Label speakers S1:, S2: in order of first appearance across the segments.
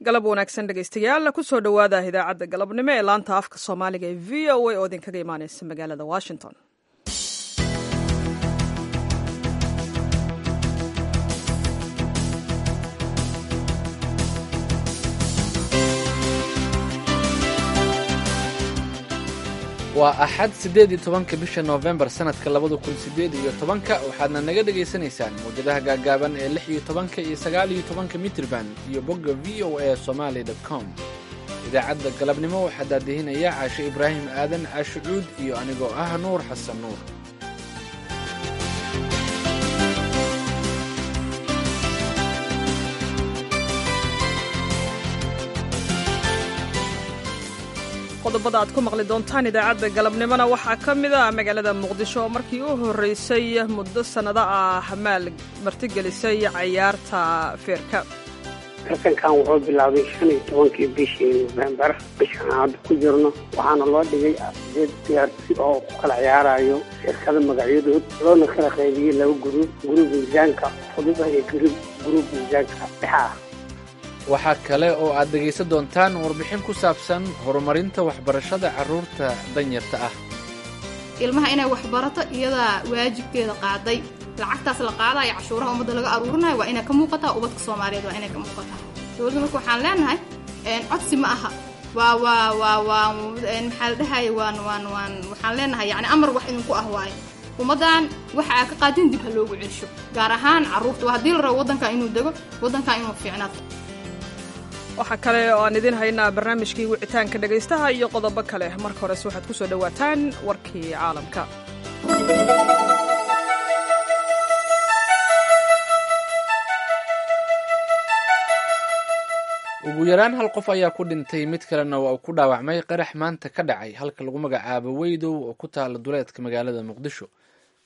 S1: Galab wanaagsan, dhegaystayaal. Kusoo dhowaada idaacadda galabnimo ee laanta afka Soomaaliga ee VOA oo idinkaga imaaneysa magaalada Washington.
S2: Waa Axad, 18-ka bisha Noofembar, sanadka 2018-ka. Waxaadna naga dhagaysanaysaan mawjadaha gaagaaban ee 16-ka iyo 19-ka mitirban iyo bogga VOA Somali com. Idaacadda galabnimo waxaa daadihinaya Caashe Ibraahim Aadan, Caashe Cuud, iyo anigoo ah Nuur Xasan Nuur.
S1: Qodobada aad ku maqli doontaan idaacadda galabnimona waxaa ka mid ah magaalada Muqdisho oo markii u horreysay muddo sannado ah maal martigelisay cayaarta feerka.
S3: Tartankan wuxuu bilaabay 15-kii bishii Nofembar, bishaan hadda ku jirno, waxaana loo dhigay sideed ciyaartoy oo ku kala ciyaarayo shirkada magacyadood, loona kala qaybiyey laba guruub: guruub miisaanka fudud ah iyo guruub miisaanka dhexa ah.
S2: Waxaa kale oo aad dhegaysan doontaan warbixin ku saabsan horumarinta waxbarashada carruurta danyarta ah.
S4: Ilmaha inay waxbarato iyadaa waajibkeeda qaaday. Lacagtaas la qaadayo, cashuuraha ummadda laga aruurinayo, waa inay ka muuqataa ubadka Soomaaliyeed, waa inay ka muuqataa dowladda. Marka waxaan leenahay, codsi ma aha, waa waa waa waa maxaa la dhahaya, waan waan waan waxaan leenahay, yacni amar wax idinku ah waaye. Ummaddan waxa aa ka qaadin dib ha loogu celsho, gaar ahaan carruurta, waa haddii la rabo waddanka inuu dego, waddanka inuu fiicnaado.
S1: Waxaa kale oo aan idiin haynaa barnaamijkii wicitaanka dhegaystaha iyo qodobo kale. Marka horese waxaad ku soo dhowaataan warkii caalamka.
S2: Ugu yaraan hal qof ayaa ku dhintay, mid kalena waa uu ku dhaawacmay qarax maanta ka dhacay halka lagu magacaabo Weydow oo ku taala duleedka magaalada Muqdisho.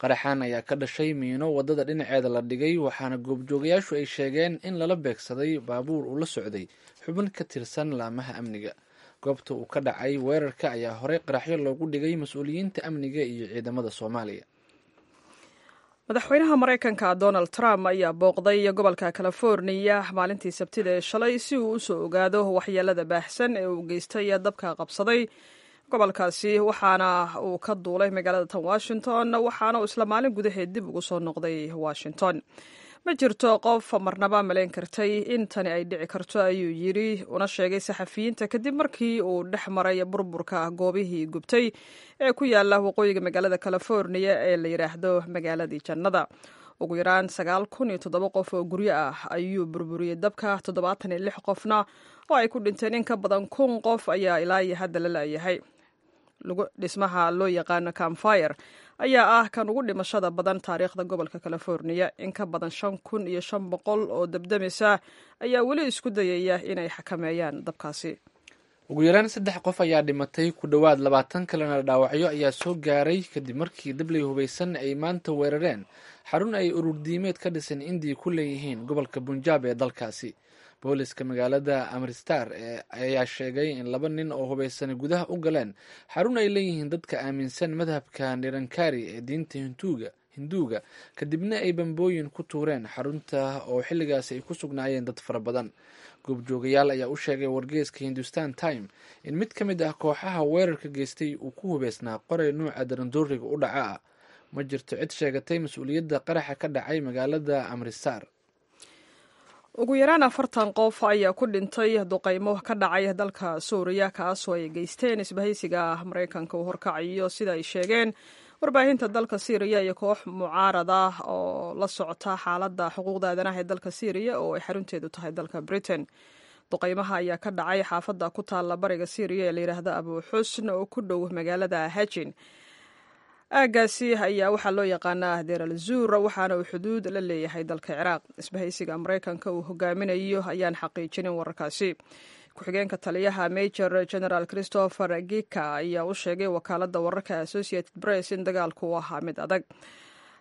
S2: Qaraxan ayaa ka dhashay miino waddada dhinaceeda la dhigay, waxaana goobjoogayaashu ay sheegeen in lala beegsaday baabuur uu la socday xubin ka tirsan laamaha amniga. Goobta uu ka dhacay weerarka ayaa horey qaraxyo loogu dhigay mas-uuliyiinta amniga iyo ciidamada Soomaaliya.
S1: Madaxweynaha Maraykanka Donald Trump ayaa booqday gobolka Californiya maalintii Sabtida ee shalay si uu usoo ogaado waxyeelada baahsan ee uu geystay dabka qabsaday gobolkaasi, waxaana uu ka duulay magaalada tan Washington, waxaana uu isla maalin gudaheed dib ugu soo noqday Washington. "Ma jirto qof marnaba malayn kartay in tani ay dhici karto," ayuu yidhi una sheegay saxafiyiinta kadib markii uu dhex maray burburka goobihii gubtay ee ku yaala waqooyiga magaalada California ee la yidhaahdo magaaladii jannada. Ugu yaraan 9007 qof oo guryo ah ayuu burburiyey dabka, 76 qofna oo ay ku dhinteen. In ka badan 1000 qof ayaa ilaa iyo hadda la laayahay. Dhismaha loo yaqaano Camp Fire ayaa ah kan ugu dhimashada badan taariikhda gobolka California. In ka badan 5500 oo dabdamisa ayaa weli isku dayaya inay xakameeyaan dabkaasi.
S2: Ugu yaraan saddex qof ayaa dhimatay, ku dhowaad 20 kalena dhaawacyo ayaa soo gaaray, kadib markii dabley hubaysan ay maanta weerareen xarun ay ururdiimeed ka dhisan Indiya ku leeyihiin gobolka Bunjaab ee dalkaasi. Booliska magaalada Amristar ayaa sheegay in laba nin oo hubaysan gudaha u galeen xarun ay leeyihiin dadka aaminsan madhabka Nirankari ee diinta Hinduuga, kadibna ay bambooyin ku tuureen xarunta oo xilligaasi ay ku sugnaayeen dad fara badan. Goobjoogayaal ayaa u sheegay wargeyska Hindustan Time in mid ka mid ah kooxaha weerarka geystay uu ku hubeysnaa qoray nuuca darandooriga u dhaca ah. Ma jirto cid sheegatay mas-uuliyadda qaraxa ka dhacay magaalada Amrisar.
S1: Ugu yaraan 40 qof ayaa ku dhintay duqaymo ka dhacay dalka Suuriya, kaasoo ay geysteen isbahaysiga Maraykanka uu horkacayo, sida ay sheegeen warbaahinta dalka Siiriya iyo koox mucaarad ah oo la socota xaaladda xuquuqda aadanaha ee dalka Siiriya oo ay xarunteedu tahay dalka Britain. Duqaymaha ayaa ka dhacay xaafadda ku taalla bariga Siiriya ee layidhaahdo Abu Xusn oo ku dhow magaalada Hajin. Aaggaasi ayaa waxaa loo yaqaanaa Deer al Zuur, waxaana uu xuduud la leeyahay dalka Ciraaq. Isbahaysiga Maraykanka uu hogaaminayo ayaan xaqiijinin wararkaasi. Ku-xigeenka taliyaha, Major General Christopher Gika, ayaa u sheegay wakaaladda wararka Associated Press in dagaalku u ahaa mid adag.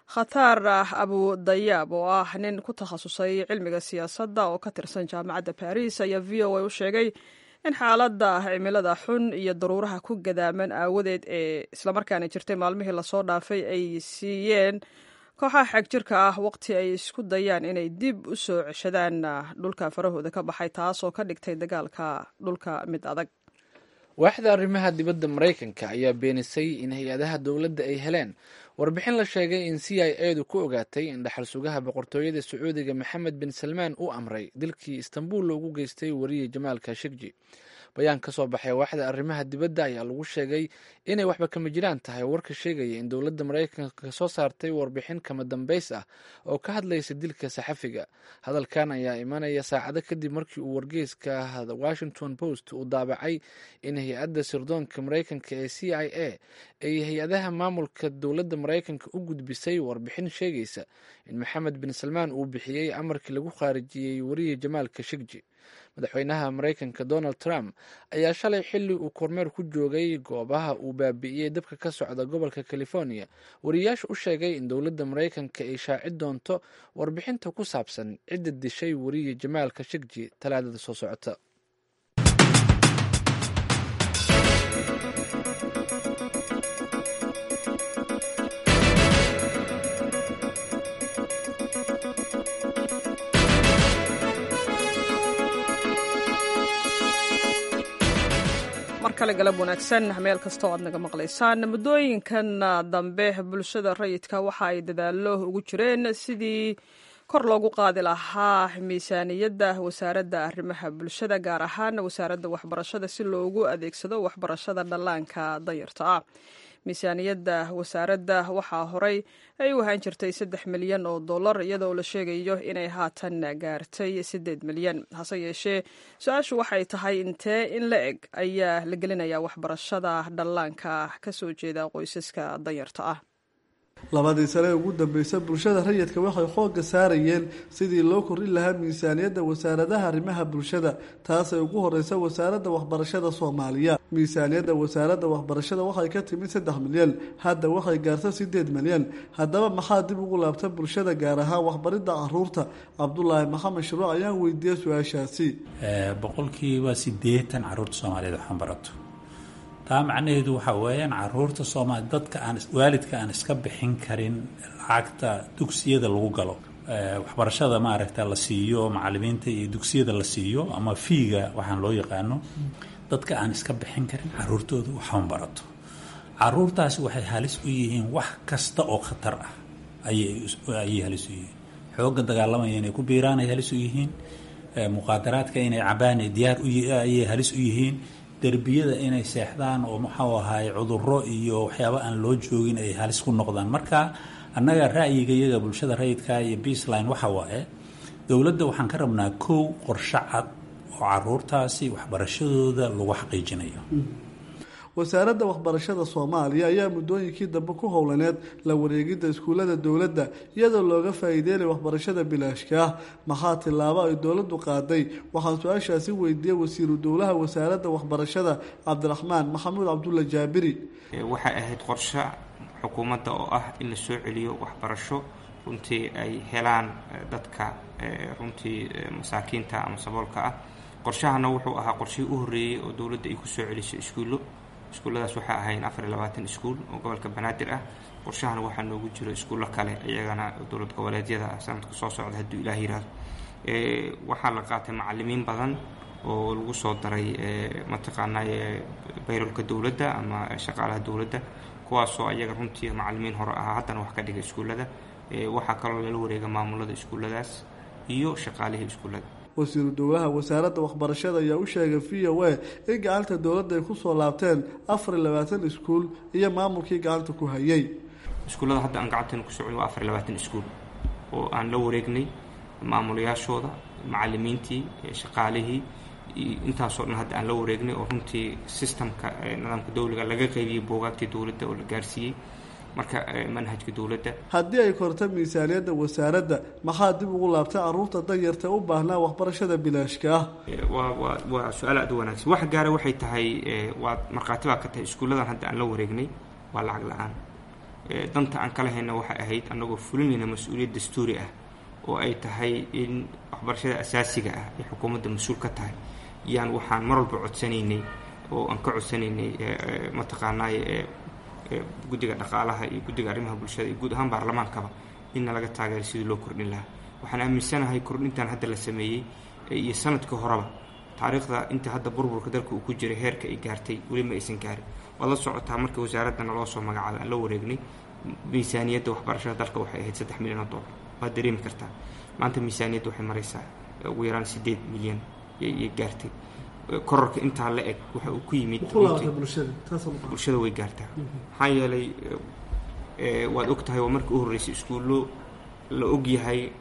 S1: Khatar Abu Dayaab, oo ah nin ku takhasusay cilmiga siyaasadda oo ka tirsan jaamacadda Baris, ayaa VOA u sheegay in xaaladda cimilada xun iyo daruuraha ku gadaaman aawadeed ee islamarkaana jirtay maalmihii lasoo dhaafay ay siiyeen Kooxaha xagjirka ah waqti ay isku dayaan inay dib u soo ceshadaan dhulka farahooda ka baxay, taasoo ka dhigtay dagaalka dhulka mid adag.
S2: Waaxda arrimaha dibadda Maraykanka ayaa beenisay in hay-adaha dowladda ay heleen warbixin la sheegay in CIA du ku ogaatay in dhaxal sugaha boqortooyada Sacuudiga Maxamed bin Salmaan uu amray dilkii Istanbul loogu geystay wariye Jamaal Kashigji. Bayaan ka soo baxay waaxda arrimaha dibadda ayaa lagu sheegay inay waxba kama jiraan tahay warka sheegaya in dowladda Maraykanka soo saartay warbixin kama dambays ah oo ka hadlaysa dilka saxafiga. Hadalkan ayaa imanaya saacado kadib markii uu wargeyska The Washington Post uu daabacay in hay-adda sirdoonka Maraykanka ee CIA ay hay-adaha maamulka dowladda Maraykanka u gudbisay warbixin sheegaysa in Maxamed bin Salmaan uu bixiyey amarkii lagu khaarijiyey wariye Jamaal Kashigji. Madaxweynaha Maraykanka Donald Trump ayaa shalay xilli uu kormeer ku joogay goobaha uu baabi'iyey dabka ka socda gobolka California wariyaasha u sheegay in dowladda Maraykanka ay shaaci doonto warbixinta ku saabsan cidda dishay wariye Jamaal Kashigji Talaadada soo socota.
S1: Markale galab wanaagsan meel kasta oo aad naga maqlaysaan. Muddooyinkan dambe bulshada rayidka waxa ay dadaallo ugu jireen sidii kor loogu qaadi lahaa miisaaniyadda wasaaradda arrimaha bulshada, gaar ahaan wasaaradda waxbarashada, si loogu adeegsado waxbarashada dhallaanka danyarta ah. Miisaaniyadda wasaaradda waxaa horey ay u ahaan jirtay 3 milyan oo dollar, iyadoo la sheegayo inay haatan gaartay 8 milyan. Hase yeeshee, su-aashu waxay tahay intee in la eg ayaa la gelinayaa waxbarashada dhallaanka ka soo jeeda qoysaska danyarta ah?
S5: Labadii sane ee ugu dambeysay, bulshada rayidka waxay xoogga saarayeen sidii loo kordhin lahaa miisaaniyadda wasaaradaha arrimaha bulshada, taasay ugu horeysa wasaaradda waxbarashada Soomaaliya. Miisaaniyadda wasaaradda waxbarashada waxay ka timid 3 milyan, hadda waxay gaarta 8 milyan. Haddaba maxaa dib ugu laabta bulshada, gaar ahaan waxbaridda caruurta? Cabdulaahi Maxamed Shuruuc ayaan weydiiyey su-aashaasi.
S6: 80% caruurta Soomaaliyeed waxaan barato. Taa macnaheedu waxaa weeyaan caruurta Soomaali, dadka aan waalidka aan iska bixin karin lacagta dugsiyada lagu galo, waxbarashada maaragta la siiyo macalimiinta iyo dugsiyada la siiyo ama fiiga waxaan loo yaqaano, dadka aan iska bixin karin caruurtooda waxaan barato. Caruurtaasi waxay halis u yihiin wax kasta oo khatar ah ayay halis u yihiin. Xoogga dagaalamaya inay ku biiraan ay halis u yihiin, muqaadaraadka inay cabaan diyaar ayay halis u yihiin, derbiyada inay seexdaan oo muxuu ahaay cudurro iyo waxyaaba aan loo joogin ay halis ku noqdaan. Marka annaga ra'yiga iyaga bulshada rayidka iyo Peaceline waxa waaye, dowladda waxaan ka rabnaa kow qorshe cad oo caruurtaasi waxbarashadooda lagu xaqiijinayo.
S5: Wasaaradda waxbarashada Soomaaliya ayaa muddooyinkii dambe ku howlaneed la wareegidda iskuullada dowladda, iyadoo looga faa'iideynaya waxbarashada bilaashka ah. Maxaa tillaabo ay dowladdu qaaday? Waxaan su-aashaasi weydiiyey wasiiru dowlaha wasaaradda waxbarashada, Cabdiraxmaan Maxamuud Cabdulla Jaabiri.
S7: Waxay ahayd qorshe xukuumadda oo ah in la soo celiyo waxbarasho runtii ay helaan dadka runtii masaakiinta ama saboolka ah. Qorshahana wuxuu ahaa qorshihii u horreeyey oo dowladda ay kusoo celiso iskuullo. Iskuulladaas waxaa ahayn 24 iskuul oo gobolka Banaadir ah. Qorshahana waxaa noogu jiro iskuullo kale iyagana dowlad goboleedyada ah sanadka soo socda, hadduu Ilaah yiraahdo. Waxaa la qaatay macalimiin badan oo lagu soo daray mataqaanaa payroll-ka dowladda ama shaqaalaha dowladda, kuwaasoo ayaga runtii macalimiin hore ahaa, haddana wax ka dhigay iskuullada. Waxaa kaloo lala wareega maamulada iskuulladaas iyo shaqaalihii iskuullada.
S5: Wasiiru dowlaha wasaaradda waxbarashada ayaa u sheegay VOA in gacanta dowladda ay kusoo laabteen 24 iskuul iyo maamulkii gacanta ku hayay.
S7: Iskuullada hadda aan gacanteena ku socon waa 24 iskuul oo aan la wareegnay maamulayaashooda, macalimiintii, shaqaalihii, intaasoo dhan hadda aan la wareegnay, oo runtii system-ka nidaamka dowliga laga qaybiyey buugaagtii dowladda oo la gaarsiiyey marka manhajka dowladda.
S5: Haddii ay korta miisaaniyadda wasaaradda, maxaa dib ugu laabtay caruurta danyarta u baahnaa waxbarashada bilaashka ah?
S7: Waa su-aal aad u wanaagsan. Wax gaara waxay tahay, waa markhaati baa ka tahay, iskuulladan hadda aan la wareegnay waa lacag la-aan. Danta aan kala hayna waxay ahayd annagoo fulinayna mas-uuliyad dastuuri ah oo ay tahay in waxbarashada asaasiga ah ay xukuumadda mas-uul ka tahay, yaan waxaan mar walba codsanaynay oo aan ka codsanaynay mataqaanaa guddiga dhaqaalaha iyo guddiga arrimaha bulshada iyo guud ahaan baarlamaankaba inna laga taageero sidii loo kordhin lahaa. Waxaan aaminsanahay kordhintan hadda la sameeyey iyo sanadka horeba, taariikhda inta hadda burburka dalka uu ku jiray heerka ay gaartay weli ma aysan gaarin. Waad la socotaa, marka wasaaradana loo soo magacaabay aan la wareegnay, miisaaniyadda waxbarashada dalka waxay ahayd 3 milyan oo dollar. Waad dareemi kartaa, maanta miisaaniyadda waxay maraysaa ugu yaraan 8 milyan yay gaartay. Kororka intaa la eg waxa uu ku yimid bulshada way gaartaa, maxaa yeelay waad og tahay, waa markii u horreysay iskuullo la og yahay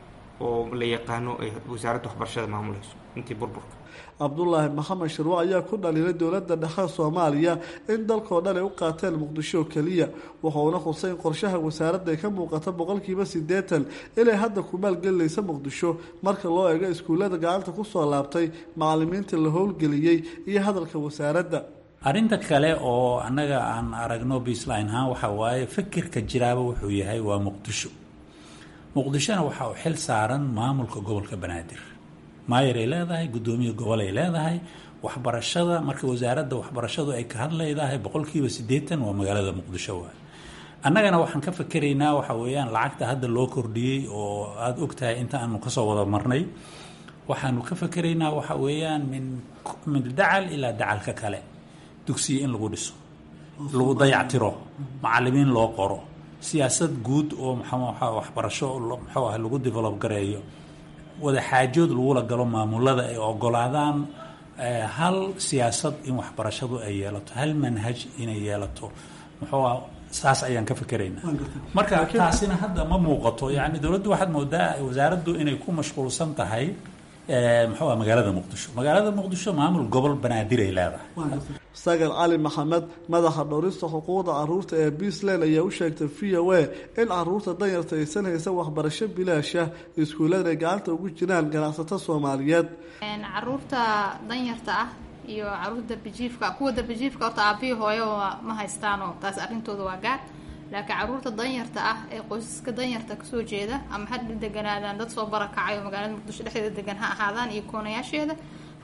S7: oo la yaqaano ay wasaaradda waxbarashada maamulayso intii burburka.
S5: Cabdulaahi Maxamed Shirwac ayaa ku dhaliilay dowladda dhexe Soomaaliya in dalkoo dhan ay u qaateen Muqdisho keliya, wuxuuna xusay in qorshaha wasaaradda ay ka muuqata 80% inay hadda ku maalgelinaysa Muqdisho, marka loo eego iskuullada gacanta ku soo laabtay, macalimiinta la howlgeliyey iyo hadalka wasaaradda.
S6: Arrinta kale oo annaga aan aragno baseline ahaan waxaa waaye, fikirka jiraaba wuxuu yahay waa Muqdisho. Muqdishona waxa uu xil saaran maamulka gobolka Banaadir. Maayar ay leedahay, guddoomiye gobol ay leedahay waxbarashada. Marka wasaaradda waxbarashadu ay ka hadlaydahay 80% waa magaalada Muqdisho waay. Annagana waxaan ka fakeraynaa waxa weeyaan lacagta hadda loo kordhiyey oo aada og tahay inta aanu kasoo wada marnay, waxaanu ka fakeraynaa waxa weeyaan min dacal ilaa dacalka kale dugsiya in lagu dhiso, lagu dayactiro, macalimiin loo qoro, siyaasad guud oo mxuu waxbarasho muxuu ah lagu develop gareeyo, wada xaajood lagula galo maamulada ay ogolaadaan hal siyaasad in waxbarashadu ay yeelato, hal manhaj inay yeelato, muxuu ah, saas ayaan ka fikeraynaa. Marka taasina hadda ma muuqato. Yacni dowladdu waxaad moodaa, wasaaraddu inay ku mashquulsan tahay muxuu ah magaalada Muqdisho. Magaalada Muqdisho maamul gobol Banaadir ay leedahay.
S5: Sagal Cali Maxamed, madaxa dhowrista xuquuqda caruurta ee Puntland, ayaa u sheegtay VOA in caruurta danyarta aysan haysan waxbarasho bilaasha, iskuullada ay gacanta ugu jiraan ganacsato Soomaaliyeed.
S4: Caruurta danyarta ah iyo caruurta darbijiifka, kuwa darbijiifka horta aabbihi hooyo ma haystaanoo taas arrintooda waa gaar, laakiin caruurta danyarta ah ee qoysaska danyarta kasoo jeeda, ama ha deganaadaan dad soo barakacay oo magaalada Muqdisho dhexdeeda degan ha ahaadaan iyo koonayaasheeda,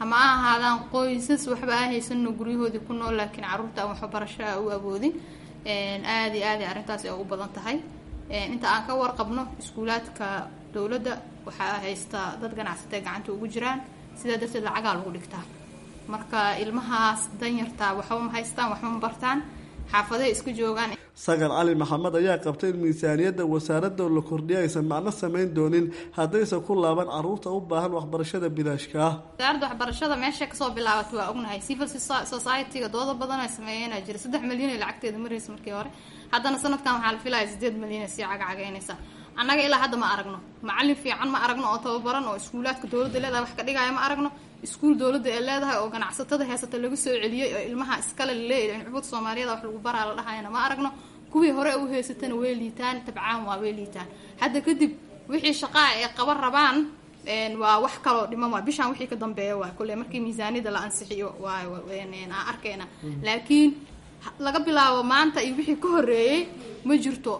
S4: hama ha ahaadaan qoysas waxba aan haysano guryahoodii ku nool, laakiin caruurta aan waxbarasho u awoodin, aada iyo aad ay arrintaas ay u badan tahay. Inta aan ka warqabno, iskuulaadka dowladda waxaa haysta dad ganacsatee gacanta ugu jiraan, sidaa darteed lacagaa lagu dhigtaa. Marka ilmahaas danyarta waxba ma haystaan, waxba ma bartaan, xaafaday iska joogaan.
S5: Sagal Cali Maxamed ayaa qabtay in miisaaniyadda wasaaradda la kordhiya aysan macno samayn doonin haddaysan ku laaban caruurta u baahan waxbarashada bilaashka ah.
S4: Wasaaradda waxbarashada meesha kasoo bilaabatay waa ognahay. Civil society-ga dooda badan ay sameeyeenaa jira. 3 milyan ay lacagteeda maraysa markii hore, haddana sanadkan waxaa la filaya 8 milyan ay sii cagacagaynaysa. Annaga ilaa hadda ma aragno macallin fiican, ma aragno oo tababaran oo iskuulaadka dowladda leedahay wax ka dhigaya. Ma aragno iskuul dowladda ee leedahay oo ganacsatada heysata laga soo celiyey oo ilmaha iskale laleeyahay in cubud Soomaaliyada wax lagu baraa la dhahayana ma aragno. Kuwii hore u haysatana way liitaan, tabcaan waa way liitaan. Hadda kadib wixii shaqaa ay qaban rabaan waa wax kaloo dhiman, waa bishaan wixii ka dambeeya, waa kulle markii miisaaniyada la ansixiyo waa aan arkayna. Laakiin laga bilaabo maanta iyo wixii ka horreeyey ma jirto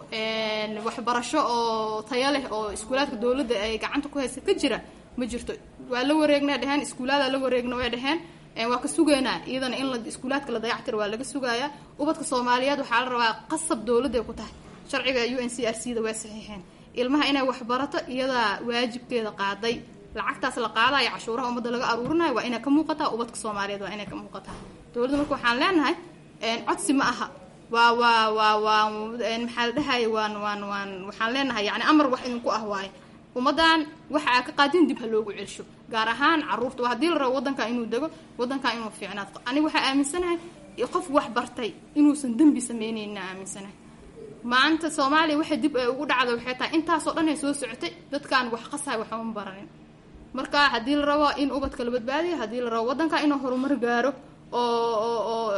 S4: waxbarasho oo tayo leh oo iskuulaadka dowladda ay gacanta ku haysa ka jira, ma jirto. Waa la wareegnay dheheen, iskuulaada la wareegna way dheheen, waa ka sugaynaa iyadana in la iskuulaadka la dayactiro, waa laga sugayaa. Ubadka Soomaaliyeed waxaa la rabaa, qasab dowladda ay ku tahay, sharciga UNCRC da way saxiixeen, ilmaha inay waxbarato iyadaa waajibkeeda qaaday. Lacagtaas la qaadayo, cashuuraha ummadda laga aruurinayo, waa inay ka muuqataa ubadka Soomaaliyeed, waa inay ka muuqataa. Dowladda marka waxaan leenahay, codsi ma aha, waa maxaa la dhahaya, waan waxaan leenahay yani amar wax idinku ah waaye. Ummaddan waxa aa ka qaadin dib ha loogu celsho, gaar ahaan caruurta. Waa haddii la rabo waddanka inuu dego, waddanka inuu fiicnaado. Aniga waxaa aaminsanahay qof wax bartay inuusan dembi sameyneyna aaminsanahay. Maanta Soomaaliya waxay dib ay ugu dhacda waxay tahay intaasoo dhan ay soo socotay dadkaan wax qasahay, waxba ma baranin. Marka haddii la rabo in ubadka la badbaadiyo, haddii la rabo waddanka inuu horumar gaaro, oo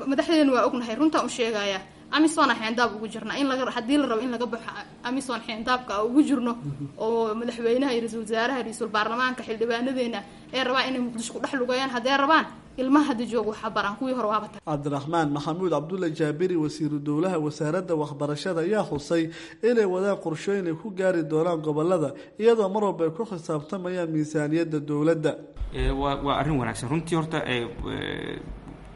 S4: madaxdeena waa ognahay, runtaan u sheegaya, AMISOM xeendaab ugu jirna in laga, haddii la rabo in laga baxo AMISOM xeendaabka ugu jirno, oo madaxweynaha iyo ra-iisul wasaaraha, ra-iisul baarlamaanka, xildhibaanadeena ay rabaan inay Muqdisho ku dhex lugayaan, hadday rabaan ilmaha hadda jooga waxa baraan, kuwii hore waaba tag.
S5: Cabdiraxmaan Maxamuud Cabdulle Jaabiri, wasiiru dowlaha wasaaradda waxbarashada, ayaa xusay inay wadaan qorshooyin ay ku gaari doonaan gobolada, iyadoo mar walba ay ku xisaabtamayaan miisaaniyadda dowladda.
S7: Waa arrin wanaagsan runtii. Horta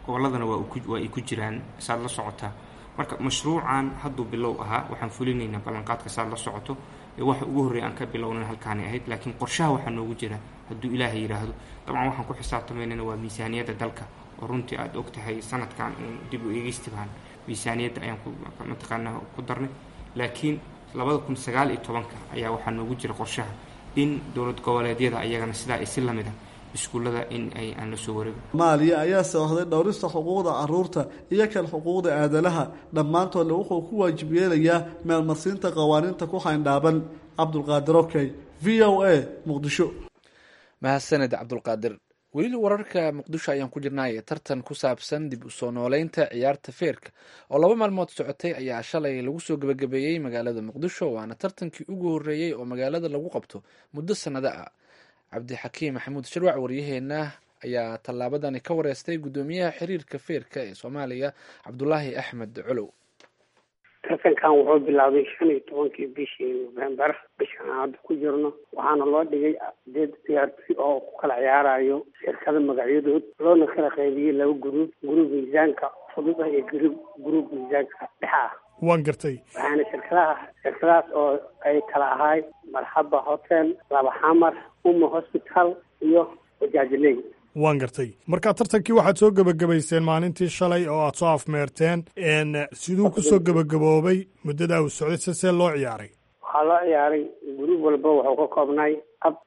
S7: gobolladana waa ay ku jiraan, saad la socotaa. Marka mashruucan hadduu bilow ahaa, waxaan fulinaynaa ballanqaadka saad la socoto. Waxa ugu horreeya aan ka bilownan halkaanay ahayd, laakiin qorshaha waxaa noogu jira hadduu Ilaahay yidhaahdo. Dabcan waxaan ku xisaabtamaynana waa miisaaniyadda dalka, oo runtii aada og tahay sanadkan uun dib u eegeystibaan miisaaniyadda ayaan ku mataqaanaa ku darnay. Laakiin 2019-ka ayaa waxaa noogu jira qorshaha in dowlad goboleedyada ayagana sidaa ay si lamid ah iskuullada in ay aan la soo wareego.
S5: Soomaaliya ayaa soohday dhowrista xuquuqda caruurta iyo kan xuquuqda aadanaha, dhammaantoodna wuxuu ku waajib yeelayaa meelmarsiinta qawaaniinta ku xayndhaaban. Cabdulqaadir Okey, VOA, Muqdisho.
S2: Mahadsaned Cabdulqaadir. Weli wararka Muqdisho ayaan ku jirnaaye, tartan ku saabsan dib u soo nooleynta ciyaarta feerka oo 2 maalmood socotay ayaa shalay lagu soo gebagabeeyey magaalada Muqdisho, waana tartankii ugu horreeyey oo magaalada lagu qabto muddo sannado ah. Cabdixakiim Maxamuud Shirwac, waryaheena, ayaa tallaabadani ka wareystay guddoomiyaha xiriirka feerka ee Soomaaliya, Cabdulaahi Axmed Colow.
S3: Tartankan wuxuu bilaabay 15-kii bishii November, bishan aan hadda ku jirno, waxaana loo dhigay sideed ciyaartoy oo ku kala ciyaarayo shirkada magacyadood, loona kala qaybiyey laba gruub: gruub miisaanka fudud ah iyo gruub miisaanka dhexa ah.
S8: Waan gartay.
S3: Waxaana shirkadahaas oo ay kala ahaay Marxaba Hotel, Laba Xamar, Uma Hospital iyo Wajaajiley.
S8: Waan gartay. Marka tartankii waxaad soo gebagabayseen maalintii shalay oo aad soo afmeerteen. Siduu kusoo gebagaboobay muddadaa uu socday, se see loo ciyaaray?
S3: Waxaa loo ciyaaray gruub walba wuxuu ka koobnay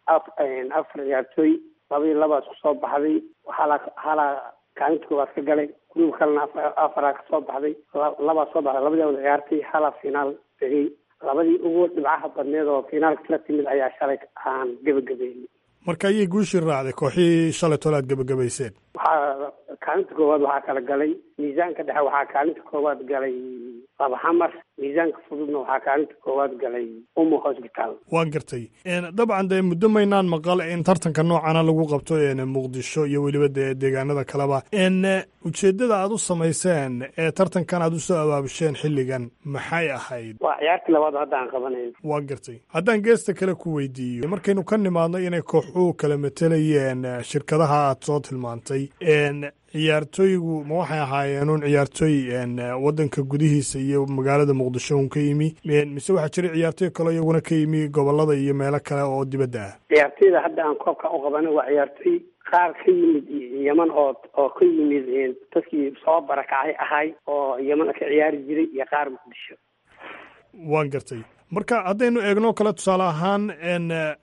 S3: afar ciyaartooy, laba iyo labaas kusoo baxday. Waxaa halaa kaalinta koowaad ka galay, gruub kalena afaraa kasoo baxday, labaa soo baxday, labadii wada ciyaartay, halaa finaal tegey. Labadii ugu dhibcaha badneed oo finaalka la timid ayaa shalay aan gebagabeynay.
S8: Marka ayay guushii raacday kooxihii shalay tole aad gebagabayseen?
S3: Waxaa kaalinta koowaad waxaa kala galay miisaanka dhexe, waxaa kaalinta koowaad galay Laba Xamar, miisaanka fududna waxaa kaalinta koowaad galay Umo Hospital.
S8: Waan gartay. Dabcan dee muddo maynaan maqal in tartanka noocana lagu qabto Muqdisho iyo weliba dee deegaanada kaleba. Ujeeddada aad u samayseen ee tartankan aad usoo abaabisheen xilligan maxay ahayd?
S3: Waa ciyaartii labaad hadda aan qabanayn.
S8: Waan gartay. Haddaan geesta kale ku weydiiyo, markaynu ka nimaadno inay kooxuhu kala matelayeen shirkadaha aad soo tilmaantay, ciyaartooygu ma waxay ahaayeen un ciyaartooy waddanka gudihiisa iyo magaalada Muqdisho un ka yimi, mise waxaa jiray ciyaartooy kaleo iyaguna ka yimi gobolada iyo meelo kale oo dibadda ah?
S3: Ciyaartooyda hadda aan koobka u qabanay waa ciyaartooy qaar ka yimid Yeman oo ka yimid dadkii soo barakacay ahay oo Yeman ka ciyaari jiray, iyo qaar Muqdisho.
S8: Waan gartay. Marka haddaynu eegno kale tusaale ahaan,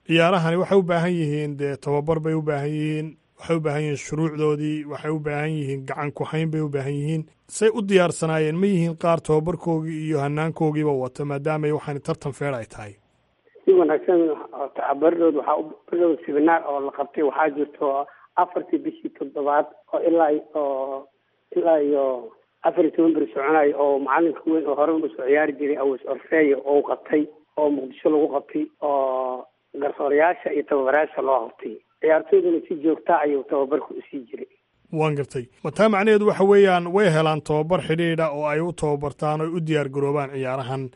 S8: ciyaarahani waxay u baahan yihiin dee tababar bay u baahan yihiin, waxay u baahan yihiin shuruucdoodii, waxay u baahan yihiin gacan ku-hayn bay u baahan yihiin. Say u diyaarsanaayeen? Ma yihiin qaar tababarkoogii iyo hanaankoodiiba wata, maadaamay waxaan tartan feer ay tahay?
S3: Si wanaagsan. Baridhood waxaa baridhood sibinaar oo la qabtay waxaa jirto 4-tii bishii toddobaad oo ilaa iyo 14 beri soconayo, oo macalinka weyn oo hore usoo ciyaari jiray Aws Orfeyo oo qabtay, oo Muqdisho lagu qabtay, oo garsoorayaasha iyo tababarayaasha loo qabtay. Ciyaartooyduna si joogta ayuu tababarku usii jiray.
S8: Waan gartay. Ma taa macnaheedu waxa weeyaan way helaan tababar xidhiidha oo ay u tababartaan oo u diyaar garoobaan ciyaarahan,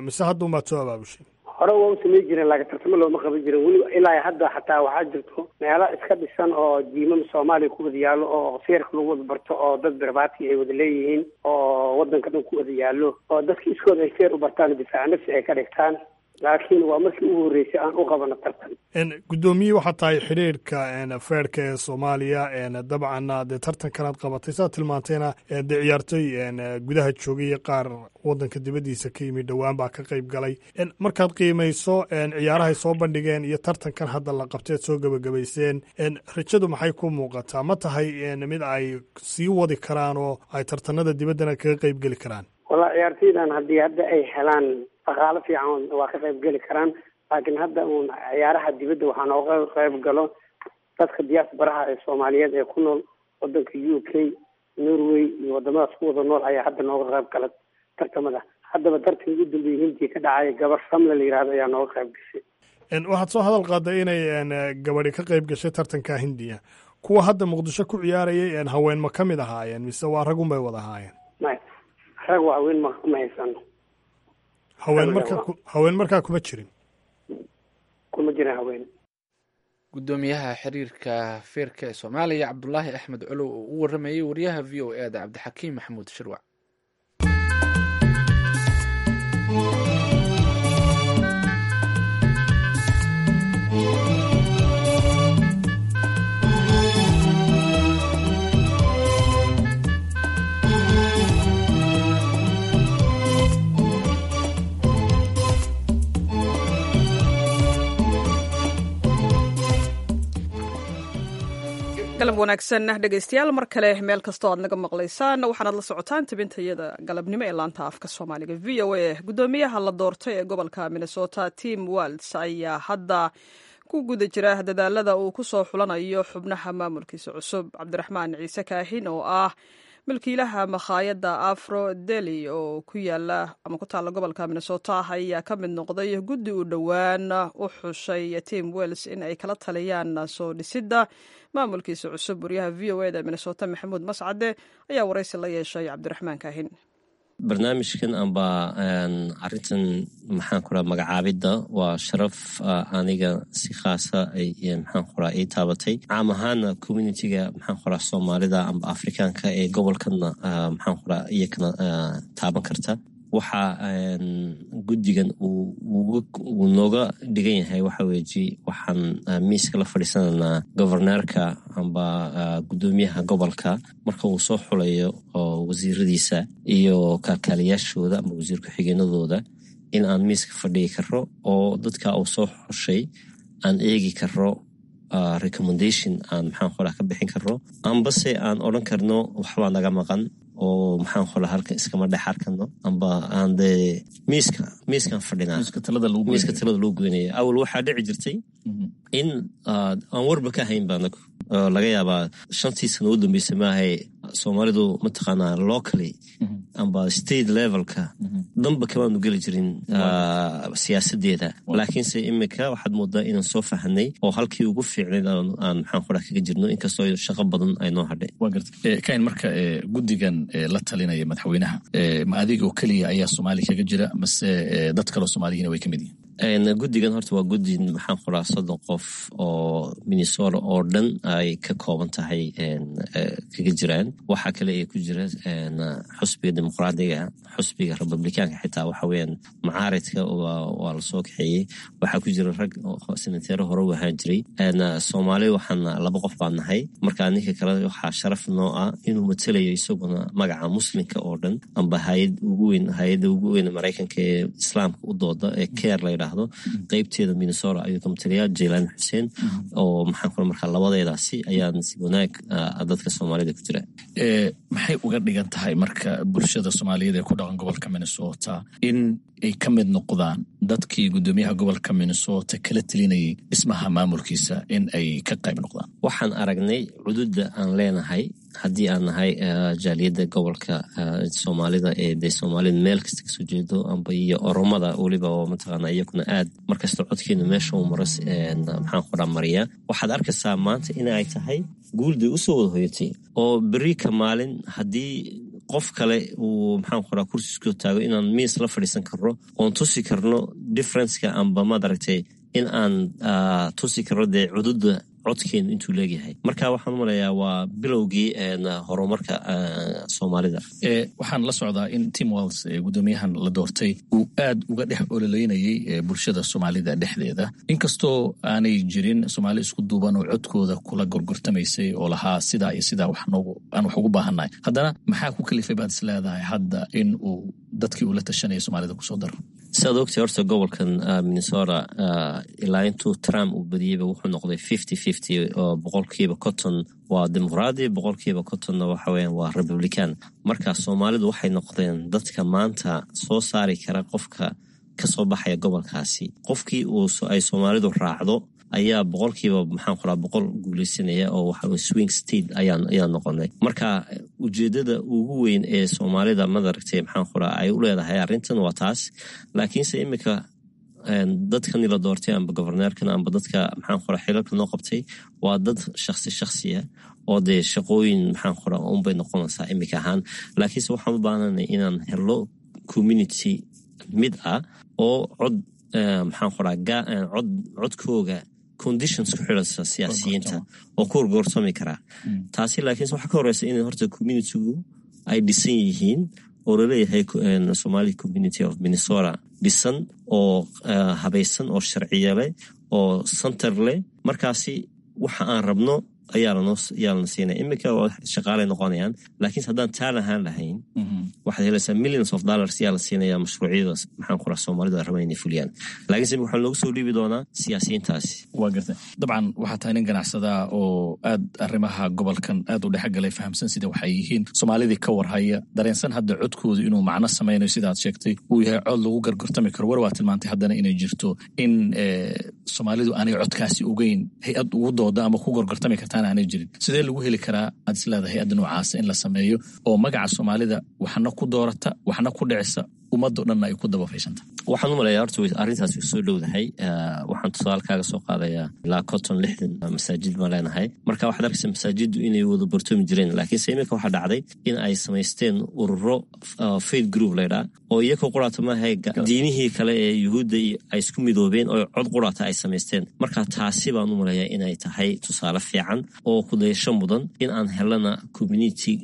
S8: mise hadduunbaad soo abaabushay?
S3: Hore waa u samey jireen, laakiin tartamo looma qaban jirin weli ilaa hadda. Xataa waxaa jirto meelo iska dhisan oo jiimam Soomaaliya ku wada yaallo oo feerka lagu wada barto, oo dad barbaati ay wada leeyihiin, oo waddanka dhan ku wada yaallo, oo dadka iskooda ay feer u bartaan, difaaca nafsi ay ka dhigtaan, laakiin waa markii ugu horreysay aan u qabano tartan.
S8: Guddoomiye waxaa tahay xidhiirka feerka ee Soomaaliya. Dabcanna dee tartankanaad qabatay, saad tilmaantayna dee ciyaartoy gudaha joogay iyo qaar waddanka dibaddiisa ka yimid dhowaan baa ka qayb galay. Markaad qiimayso ciyaarahay soo bandhigeen iyo tartankan hadda la qabtay aad soo gebagabayseen, rajadu maxay ku muuqataa? Ma tahay mid ay sii wadi karaan oo ay tartanada dibaddana kaga qayb geli karaan?
S3: Wallaa, ciyaartoydan haddii hadda ay helaan dhaqaalo fiican waa ka qayb geli karaan, laakiin hadda uun ciyaaraha dibadda waxaa nooga qayb galo dadka diaspora-ha ee Soomaaliyeed ee ku nool wadanka UK, Norway iyo wadamadaas ku wada nool ayaa hadda nooga qayb gala tartamada. Haddaba tartankii ugu dambeeyey Hindiya ka dhacay, gabar Samle la yihahdo ayaa nooga qayb gashay.
S8: Waxaad soo hadal qaaday inay gabadhi ka qayb gashay tartanka Hindiya. Kuwa hadda Muqdisho ku ciyaarayay haween ma ka mid ahaayeen, mise waa ragun bay wada ahaayeen?
S3: May, rag waa haween ma haysano.
S8: Haween markaa haween markaa kuma jirin?
S3: Kuma jirin haween.
S2: Guddoomiyaha xiriirka feerka ee Soomaaliya, Cabdulaahi Axmed Colow, oo u waramayay wariyaha VOA da, Cabdixakiim Maxamuud Shirwac.
S1: Galab wanaagsan dhegaystayaal, mar kale meel kastoo aad naga maqlaysaan, waxaanaad la socotaan tabintayada galabnimo ee laanta afka Soomaaliga VOA. Guddoomiyaha la doortay ee gobolka Minnesota, Tim Walz, ayaa hadda ku guda jira dadaalada uu ku soo xulanayo xubnaha maamulkiisa cusub. Cabdiraxmaan Ciise Kaahin, oo ah milkiilaha makhaayadda Afro Deli oo ku yaala ama ku taalla gobolka Minnesota, ayaa ka mid noqday guddi uu dhowaan u xushay Tim Walz in ay kala taliyaan soo dhisidda maamulkiisa cusub. Wariyaha VOA da Minnesota, Maxamuud Mascade, ayaa waraysi la yeeshay Cabdiraxmaan Kaahin.
S9: Barnaamijkan amba arintan, maxaan ku raha, magacaabidda waa sharaf aniga si khaasa maxaan ku raha ii taabatay, caam ahaana communityga, maxaan ku raha, Soomaalida amba Afrikaanka ee gobolkana, maxaan ku raha, iyakana taaban karta. Waxa guddigan uu nooga dhigan yahay waxa weeji, waxaan miiska la fadhiisanaynaa governorka amba guddoomiyaha gobolka marka uu soo xulayo wasiiradiisa iyo kalkaaliyaashooda amba wasiir ku-xigeenadooda, in aan miiska fadhigi karo oo dadka uu soo xushay aan eegi karo, recommendation aan, maxaan qoraa, ka bixin karno, ambase aan odhan karno waxbaa naga maqan oo, maxaan qoraa, halkan iskama dhex arkano, amba aan dee miiskaan fadhinaa miiska talada lagu goynaya. Awal waxaa dhici jirtay in aan warba ka hayn ba anagu. Laga yaabaa 5-tii sano u dambeysay maahay Soomaalidu mataqaanaa locally amba state levelka danba kamaanu geli jirin siyaasadeeda, laakiinse imika waxaad moodaa inaan soo fahanay oo halkii ugu fiicnayd aan, maxaan qoraa, kaga jirno, inkastoo shaqo badan ay noo hadhay.
S10: Waa garta kain. Marka guddigan la talinaya madaxweynaha, ma adiga oo keliya ayaa Soomaaliya kaga jira mase dad kaloo Soomaaliyiina way ka mid yihiin?
S9: Guddigan horta waa guddi, maxaan qoraa, 30 qof oo Minnesota oo dhan ay ka kooban tahay kaga jiraan. Waxaa kale ee ku jira xusbiga Dimuqraadiga, xusbiga Republikaanka, xitaa waxa weeyaan macaaridka waa lasoo kaxeeyey. Waxaa ku jira rag senateero hore u ahaan jiray. Soomaali waxaan laba qof baan nahay. Marka ninka kale waxaa sharaf noo ah inuu matalayo isaguna magaca Muslimka oo dhan, amba hayad ugu weyn, hay-adda ugu weyn Maraykanka ee Islaamka u dooda ee CAIR la yidhaahdo, qeybteeda Minnesota ayuu ka matalayaa, Jaylan Xuseen, oo maxaan kula, markaa labadeedaasi ayaa nasiib wanaag dadka Soomaalida ku jira.
S10: Maxay uga dhigan tahay marka bulshada Soomaaliyeed ee ku dhaqan gobolka Minnesota in ay ka mid noqdaan dadkii guddoomiyaha gobolka Minnesota kala telinayay dhismaha maamulkiisa, in ay ka qayb noqdaan?
S9: Waxaan aragnay cududa aan leenahay haddii aan nahay jaaliyadda gobolka Soomaalida ee dee Soomaalida meel kasta kasoo jeedo, amba iyo Oromada weliba, oo mataqaana iyakuna aad markasta codkeena meesha uu maro, maxaan qoraa, mariya. Waxaad arkaysaa maanta in ay tahay guulday usoo wada hoyatay, oo beri ka maalin haddii qof kale uu, maxaan qoraa, kursi isku taago, inaan miis la fadhiisan karno oon tusi karno differenceka, amba maad aragtay in aan tusi karno dee cududa codkeenu intuu leegyahay. Marka waxaan umalayaa waa bilowgii horumarka Soomaalida.
S10: Waxaan la socdaa in Tim Walz, guddoomiyahan la doortay, uu aad uga dhex ololeynayay bulshada Soomaalida dhexdeeda, inkastoo aanay jirin Soomaali isku duuban oo codkooda kula gorgortamaysay oo lahaa sidaa iyo sidaa aan wax ugu baahannahay. Haddana maxaa ku kalifay baad is leedahay hadda in uu dadkii uu la tashanaya Soomaalida kusoo daro?
S9: Siaad ogtay, horta gobolkan Minnesota ilaa intuu Trump uu badiyeyba wuxuu noqday 50-50, oo 50% waa Dimuqraadi, 50%-na waxa weyan waa Republican. Marka Soomaalidu waxay noqdeen dadka maanta soo saari kara qofka kasoo baxaya gobolkaasi. Qofkii uu ay Soomaalidu raacdo ayaa boqolkiiba, maxaan qoraa, 100 guuleysanaya, oo waxa swing state ayaan noqonay. Marka ujeedada ugu weyn ee Soomaalida, madaragtay, maxaan qoraa, ay u leedahay arrintan waa taas. Laakiinse imika dadkani la doortay, amba governeerkan, amba dadka, maxaan qoraa, xilalka noo qabtay, waa dad shaksi shaksiya oo dee shaqooyin, maxaan qoraa, unbay noqonaysaa imika ahaan. Laakiinse waxaan u baahanay inaan helo community mid ah oo cod, maxaan qoraa, cod codkooga conditions ku xidhansa siyaasiyiinta oo ku gorgortami karaa taasi. Laakiinse waxaa ka horeysa in horta communitygu ay dhisan yihiin, oo laleeyahay Somali Community of Minnesota dhisan oo habaysan oo sharciya leh oo center leh. Markaasi waxa aan rabno Ayaa lana siinaya iminka, shaqaalay noqonayaan. Laakiinse haddaan taa lahaan lahayn, waxaad helaysaa millions of dollars yaa la siinaya mashruucyada, maxaan ku raha, Soomaalida rabaan inay fuliyaan. Laakiinse waxaa loogu soo dhiibi doonaa siyaasiyiintaasi.
S10: Waa gartay. Dabcan waxaa tahay nin ganacsadaa oo aad arrimaha gobolkan aad u dhexgalay, fahamsan sida waxay yihiin, Soomaalidii ka warhaya, dareensan hadda codkoodu inuu macno samaynayo, sidaad sheegtay uu yahay cod lagu gargortami karo. War waa tilmaantay haddana inay jirto in Soomaalidu aanay codkaasi ogeyn, hay-ad ugu dooda ama ku gorgortami kartaana aanay jirin. Sidee lagu heli karaa aad is leedahay hay-adda noocaasa in la sameeyo oo magaca Soomaalida waxna ku doorata, waxna ku dhicisa, ummaddo dhanna ay ku dabafaysanta?
S9: Waxaan u maleeyaa horta arrintaas way soo dhowdahay. Waxaan tusaale kaaga soo qaadayaa, ilaa 50, 60 masaajid baan leenahay. Marka waxaad arkaysa masaajiddu inay wada bartoomi jireen, laakiinse iminka waxaa dhacday in ay samaysteen ururo faith group laydhaa, oo iyakoo quraata maaha, diinihii kale ee Yuhuudda ay isku midoobeen oo cod quraata ay samaysteen. Marka taasi baan u maleeyaa inay tahay tusaale fiican oo kudayasho mudan, in aan helana community,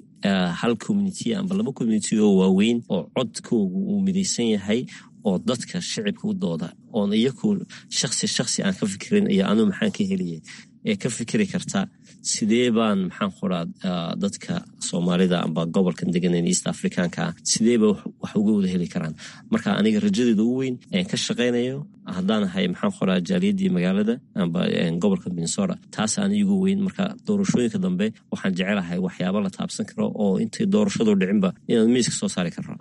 S9: hal community amba laba community oo waaweyn oo codkoogu uu midaysan yahay, oo dadka shicibka u dooda, oon iyaku shaksi shaksi aan ka fikirin iyo anuu maxaan ka heliyay, ee ka fikiri karta sidee baan, maxaan qoraa, dadka Soomaalida amba gobolkan deganan East Africanka ah sidee ba wax uga wada heli karaan. Marka aniga rajadeeda ugu weyn een ka shaqaynayo haddaan ahay, maxaan qoraa, jaaliyadii magaalada amba gobolka Minnesota, taas aan igu weyn. Marka doorashooyinka dambe waxaan jecelahay waxyaaba la taabsan karo oo intay doorashadu dhicinba inaan miiska soo saari karno.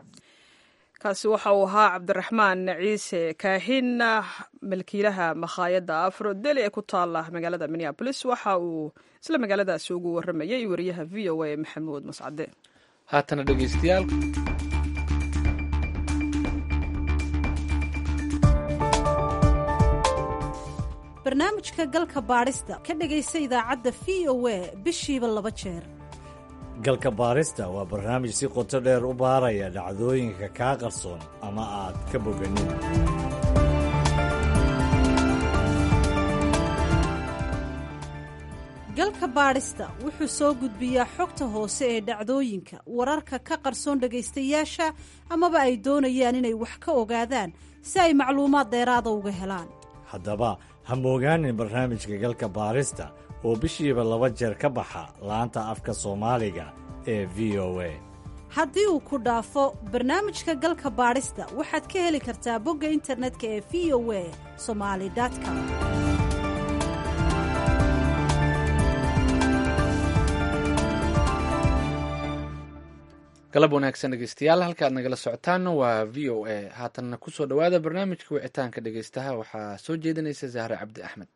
S1: Kaasi waxa uu ahaa Cabdiraxmaan Ciise Kaahin, milkiilaha makhaayadda Afro Deli ee ku taala magaalada Minneapolis. Waxa uu isla magaaladaasi ugu waramayay wariyaha VOA Maxamuud Mascade.
S2: Haatana dhegeystayaal.
S11: Barnaamijka galka baadhista ka dhegaysa idaacadda VOA bishiiba laba jeer.
S12: Galka baarista waa barnaamij si qoto dheer u baaraya dhacdooyinka kaa qarsoon ama aad ka boganin.
S11: Galka baadhista wuxuu soo gudbiyaa xogta hoose ee dhacdooyinka, wararka ka qarsoon dhegaystayaasha amaba ay doonayaan inay wax ka ogaadaan, si ay macluumaad dheeraada uga helaan.
S12: Haddaba ha moogaanin barnaamijka galka baarista oo bishiiba laba jeer ka baxa laanta afka Soomaaliga ee VOA.
S11: Haddii uu ku dhaafo barnaamijka galka baadhista, waxaad ka heli kartaa bogga internetka ee VOA Somali com.
S2: Galab wanaagsan dhegeystayaal, halka aad nagala socotaan waa VOA. Haatanna kusoo dhowaada barnaamijka wicitaanka dhegeystaha. Waxaa soo jeedinaysa Zahre Cabdi Axmed.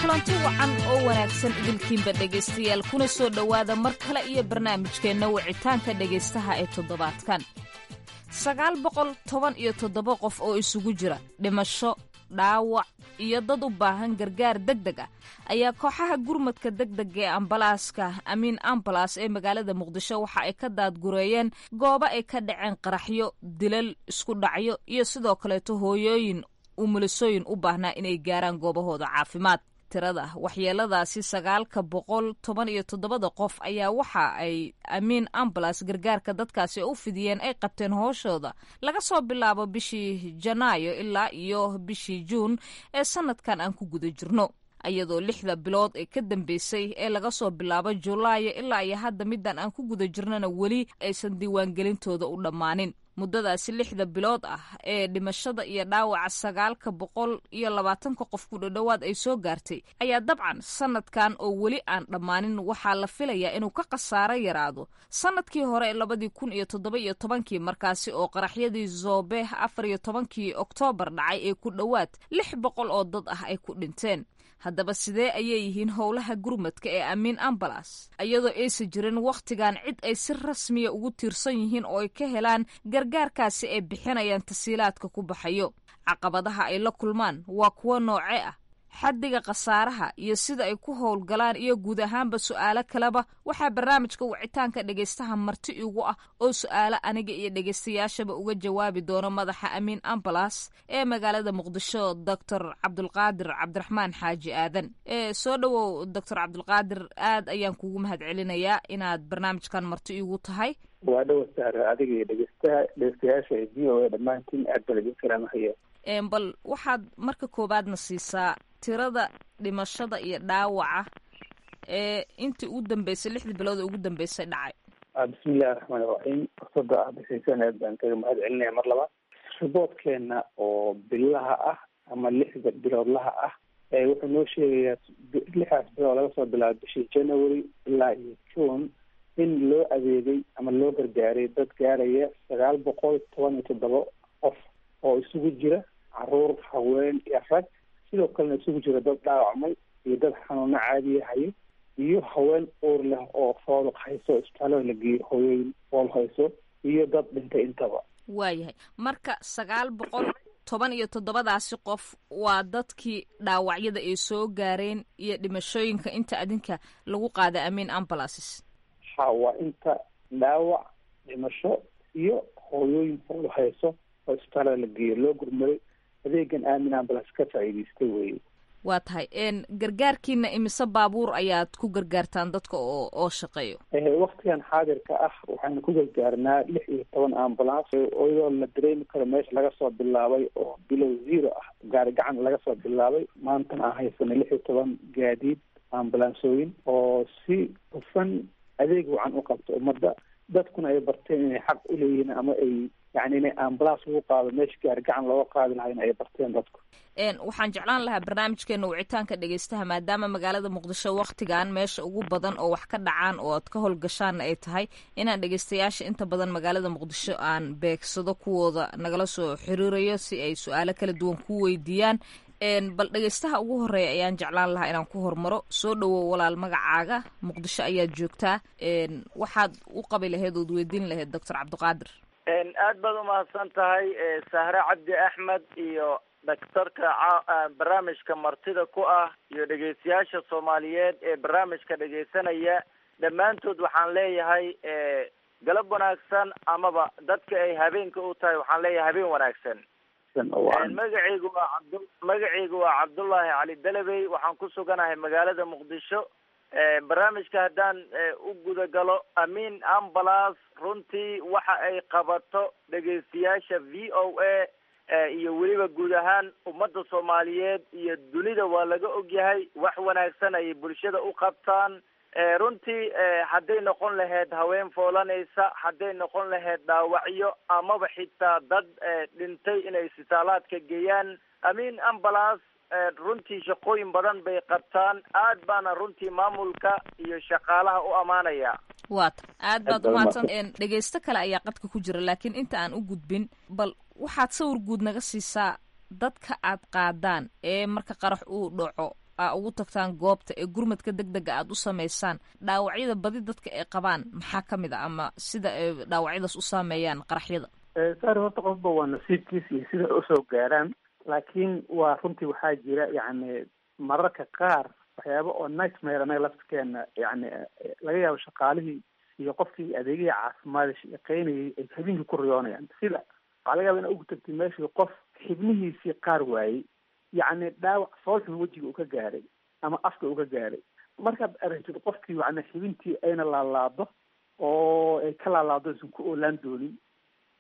S13: Kulanti wacan oo wanaagsan idilkiinba dhegaystayaal, kuna soo dhowaada mar kale iyo barnaamijkeenna wicitaanka dhegaystaha ee toddobaadkan. 917 qof oo isugu jira dhimasho, dhaawac iyo dad u baahan gargaar deg deg ah ayaa kooxaha gurmadka degdega ee ambalaaska Amiin Ambalas ee magaalada Muqdisho waxa ay ka daadgureeyeen goobo ay ka dhaceen qaraxyo, dilal, isku dhacyo iyo sidoo kaleeto hooyooyin umulisooyin u baahnaa inay gaaraan goobahooda caafimaad. Tirada waxyeeladaasi 917-da qof ayaa waxa ay Amiin Ambalas gargaarka dadkaasi u fidiyeen ay qabteen hooshooda laga soo bilaabo bishii Janaayo ilaa iyo bishii Juun ee sanadkan aan ku guda jirno, iyadoo 6da bilood ee ka dambeysay ee laga soo bilaabo Julaayo ilaa iyo hadda middan aan ku guda jirnona weli aysan diiwaangelintooda u dhammaanin. Muddadaasi 6da bilood ah ee dhimashada iyo dhaawaca 920-ka qof ku dhodhowaad ay soo gaartay ayaa dabcan sanadkan oo weli aan dhammaanin waxaa la filayaa inuu ka khasaaro yaraado sanadkii hore 2017-kii, markaasi oo qaraxyadii Zoobe 14-kii Oktoobar dhacay ee ku dhowaad 600 oo dad ah ay ku dhinteen. Haddaba sidee ayay yihiin howlaha gurmadka ee Amiin Ambalas, iyadoo aysan jirin wakhtigan cid ay si rasmiya ugu tiirsan yihiin oo ay ka helaan gargaarkaasi ay bixinayaan tasiilaadka ku baxayo? Caqabadaha ay la kulmaan waa kuwo noocee ah? Xaddiga khasaaraha iyo sida ay ku howlgalaan iyo guud ahaanba su'aalo kaleba waxaa barnaamijka wicitaanka dhegaystaha marti igu ah oo su'aalo aniga iyo dhegaystayaashaba uga jawaabi doono madaxa Amiin Ambulance ee magaalada Muqdisho, Doctor Cabdulqaadir Cabdiraxmaan Xaaji Aadan. Soo dhowow Doctor Cabdulqaadir, aad ayaan kugu mahad celinayaa inaad barnaamijkan marti igu tahay.
S14: Waa dhowa Sahra, adiga iyo dhegeystaha dhegeystayaasha ee VOA dhammaantiin aad baan idin salaamahaya.
S13: Bal waxaad marka koowaadna siisaa tirada dhimashada iyo dhaawaca ee intii ugu dambeysay, 6dii bilood ee ugu dambeysay dhacay.
S14: Bismillahi raxmaani raxiim. Fursada aad bixiseen aad baan kaga mahad celinaya mar labaad. Riboodkeena oo bilaha ah ama 6da biloodlaha ah wuxuu noo sheegayaa 6daas bilood laga soo bilaabo bishii January ilaa iyo June in loo adeegay ama loo gargaaray dad gaaraya 917 qof oo isugu jira caruur, haween iyo rag, sidoo kalena isugu jira dad dhaawacmay iyo dad xanuuno caadiya hayo iyo haween uur leh oo fooduq hayso isbitaalada la geeyo, hooyooyin fool hayso iyo dad dhintay intaba.
S13: Waayahay, marka 917daasi qof waa dadkii dhaawacyada ay soo gaareen iyo dhimashooyinka inta adinka lagu qaaday Amiin Ambulances?
S14: Ha, waa inta dhaawac, dhimasho iyo hooyooyin fool hayso oo isbitaalada la geeyo, loo gurmaday, adeegan Aamin Ambulance ka faa'iidaystay weye.
S13: Waa tahay. Gargaarkiina imise baabuur ayaad ku gargaartaan dadka oo shaqeeyo?
S14: Waktigan xaadirka ah waxaynu ku gargaarnaa 16 ambulance, iyadoo la dareemi karo meesha laga soo bilaabay oo bilow zero ah, gaari gacan laga soo bilaabay, maantana aan haysanay 16 gaadiid ambulansooyin oo si hufan adeeg wacan u qabto ummadda, dadkuna ay barteen inay xaq u leeyihiin ama ay yani inay ambulance lagu qaado meesha gaari gacan looga qaadi lahaa in ay barteen dadku.
S13: Waxaan jeclaan lahaa barnaamijkeena wicitaanka dhegeystaha, maadaama magaalada Muqdisho waktigan meesha ugu badan oo wax ka dhacaan oo aad ka howlgashaanna ay tahay, inaan dhegeystayaasha inta badan magaalada Muqdisho aan beegsado kuwooda nagala soo xiriirayo si ay su-aalo kala duwan ku weydiiyaan. Bal dhegeystaha ugu horeeya ayaan jeclaan lahaa inaan ku hormaro. Soo dhowow walaal, magacaaga, Muqdisho ayaad joogtaa, waxaad u qabi lahayd ood weydiin lahayd Doctor Cabdiqaadir?
S15: Aad baad umahadsan tahay Sahre Cabdi Axmed iyo dhaktarka barnaamijka martida ku ah iyo dhegeystayaasha Soomaaliyeed ee barnaamijka dhegeysanaya dhammaantood. Waxaan leeyahay galab wanaagsan, amaba dadka ay habeenka u tahay waxaan leeyahay habeen wanaagsan. Magacaygu waa Cabdullaahi Cali Dalabey, waxaan ku suganahay magaalada Muqdisho. Barnaamijka haddaan u gudagalo, Amiin Ambulance runtii waxa ay qabato dhegeystayaasha VOA iyo weliba guud ahaan ummadda Soomaaliyeed iyo dunida waa laga ogyahay. Wax wanaagsan ayay bulshada u qabtaan runtii, hadday noqon lahayd haween foolanaysa, hadday noqon lahayd dhaawacyo, amaba xitaa dad dhintay inay isbitaalaadka geeyaan. Amiin Ambulance runtii shaqooyin badan bay qabtaan, aad baana runtii maamulka iyo shaqaalaha u amaanaya.
S13: Waata, aad baad umahadsan. Dhegeysto kale ayaa qadka ku jira, laakiin inta aan u gudbin, bal waxaad sawir guud naga siisaa dadka aad qaadaan ee marka qarax uu dhaco aa ugu tagtaan goobta ee gurmadka deg dega aad u sameysaan. Dhaawacyada badi dadka ay qabaan maxaa ka mid a, ama sida ay dhaawacyadaas u saameeyaan qaraxyada?
S14: Sari, horta qofba waa nasiibkiis iyo sida usoo gaaraan, laakiin waa runtii waxaa jira yacni mararka qaar waxyaaba oo nightmare anaga laftirkeena yacni laga yaabo shaqaalihii iyo qofkii adeegihii caafimaad shaqeynayay ay habeenkii ku riyoonayaan. Sida waxaa laga yaaba ina ugu tagtay meeshii qof xibnihiisii qaar waayey, yacni dhaawac foolxun wejiga uu ka gaaray ama afka uu ka gaaray. Markaad aragtid qofkii yacni xibintii ayna laalaado oo ay ka laalaado isan ku oolaan doonin,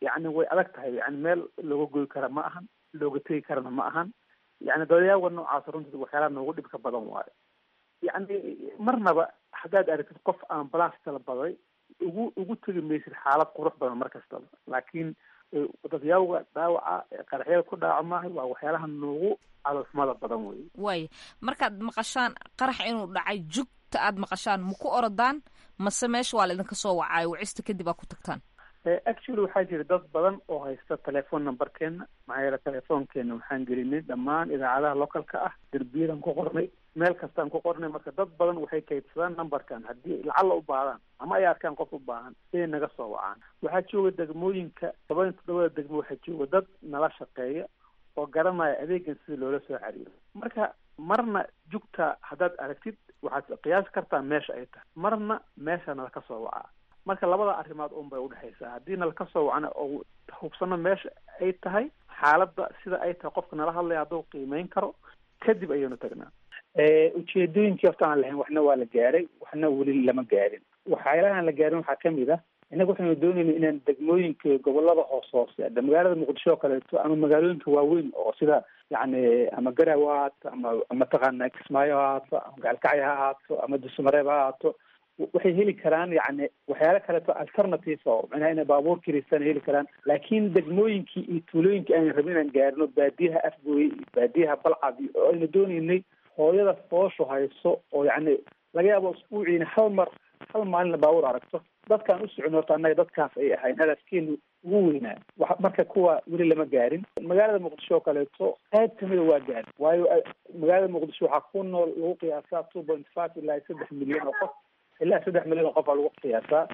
S14: yacni way adag tahay, yani meel looga goy kara ma ahan, looga tegi karana ma ahan. Yani dalyaawa noocaas runtii waxyaalaha noogu dhibka badan waayo. Yacni marnaba haddaad aragtid qof ambulance talabaday ugu tegi maysid xaalad qurux badan mar kastaba, laakiin dadyawga dhaawaca qaraxyada ku dhaawac maaha, waa waxyaalaha noogu caloosmada badan wey.
S13: Waaya, markaad maqashaan qarax inuu dhacay, jugta aad maqashaan ma ku orodaan mase meesha waa la idinka soo wacaayo, wacista kadib aa ku tagtaan?
S14: Actually waxaa jira dad badan oo haysta telephone numberkeena, maxaa yeele telefoonkeena waxaan gelinay dhammaan idaacadaha localka ah, derbiyadan ku qornay, meel kastaan ku qornay. Marka dad badan waxay kaydsadaan numberkan haddii lacalla u baahdaan ama ay arkaan qof u baahan inay naga soo wacaan. Waxaa jooga degmooyinka 17da degmo, waxaa jooga dad nala shaqeeya oo garanaya adeegan sida loola soo xiriiro. Marka Marna jugta haddaad aragtid waxaad qiyaasi kartaa meesha ay tahay, marna meesha nala ka soo wacaa. Marka labada arrimood un bay udhexaysaa. Haddii nala ka soo wacna oo hubsano meesha ay tahay, xaaladda sida ay tahay, qofka nala hadlaya hadduu qiimeyn karo, kadib ayaynu tagnaa. Ujeedooyinkii horta aan lahayn waxna waa la gaaray, waxna weli lama gaarin. Waxyaalaha aan la gaarin waxaa kamid ah, innaga waxaynu doonayna inaan degmooyinka gobolada hoos hoose, magaalada Muqdisho oo kaleeto ama magaalooyinka waaweyn oo sida yacni ama Garaawe ha ahaato ama mataqaana Kismaayo ha ahaato ama Gaalkacyo ha ahaato ama Dusumareeb ha ahaato, waxay heli karaan yacni waxyaalo kaleeto alternative oo macnaha inay baabuur kiristaan heli karaan. Laakiin degmooyinkii iyo tuulooyinkii aynu rabin inaan gaarino, baadiyaha Afgooye iyo baadiyaha Balcad, oo aynu doonaynay hooyada fooshu hayso oo yacni laga yaabo usbuuciina hal mar hal maalinna baabuur aragto, dadkaan u socon horta annaga dadkaas ay ahayn hadafkeenu ugu weynaa. Marka kuwa weli lama gaarin. Magaalada Muqdisho oo kaleeto qayb kamida waa gaarin, waayo magaalada Muqdisho waxaa ku nool lagu qiyaasaa 2.5 ilaa 3 milyan oo qof, ilaa 3 milyan oo qof aa lagu qiyaasaa.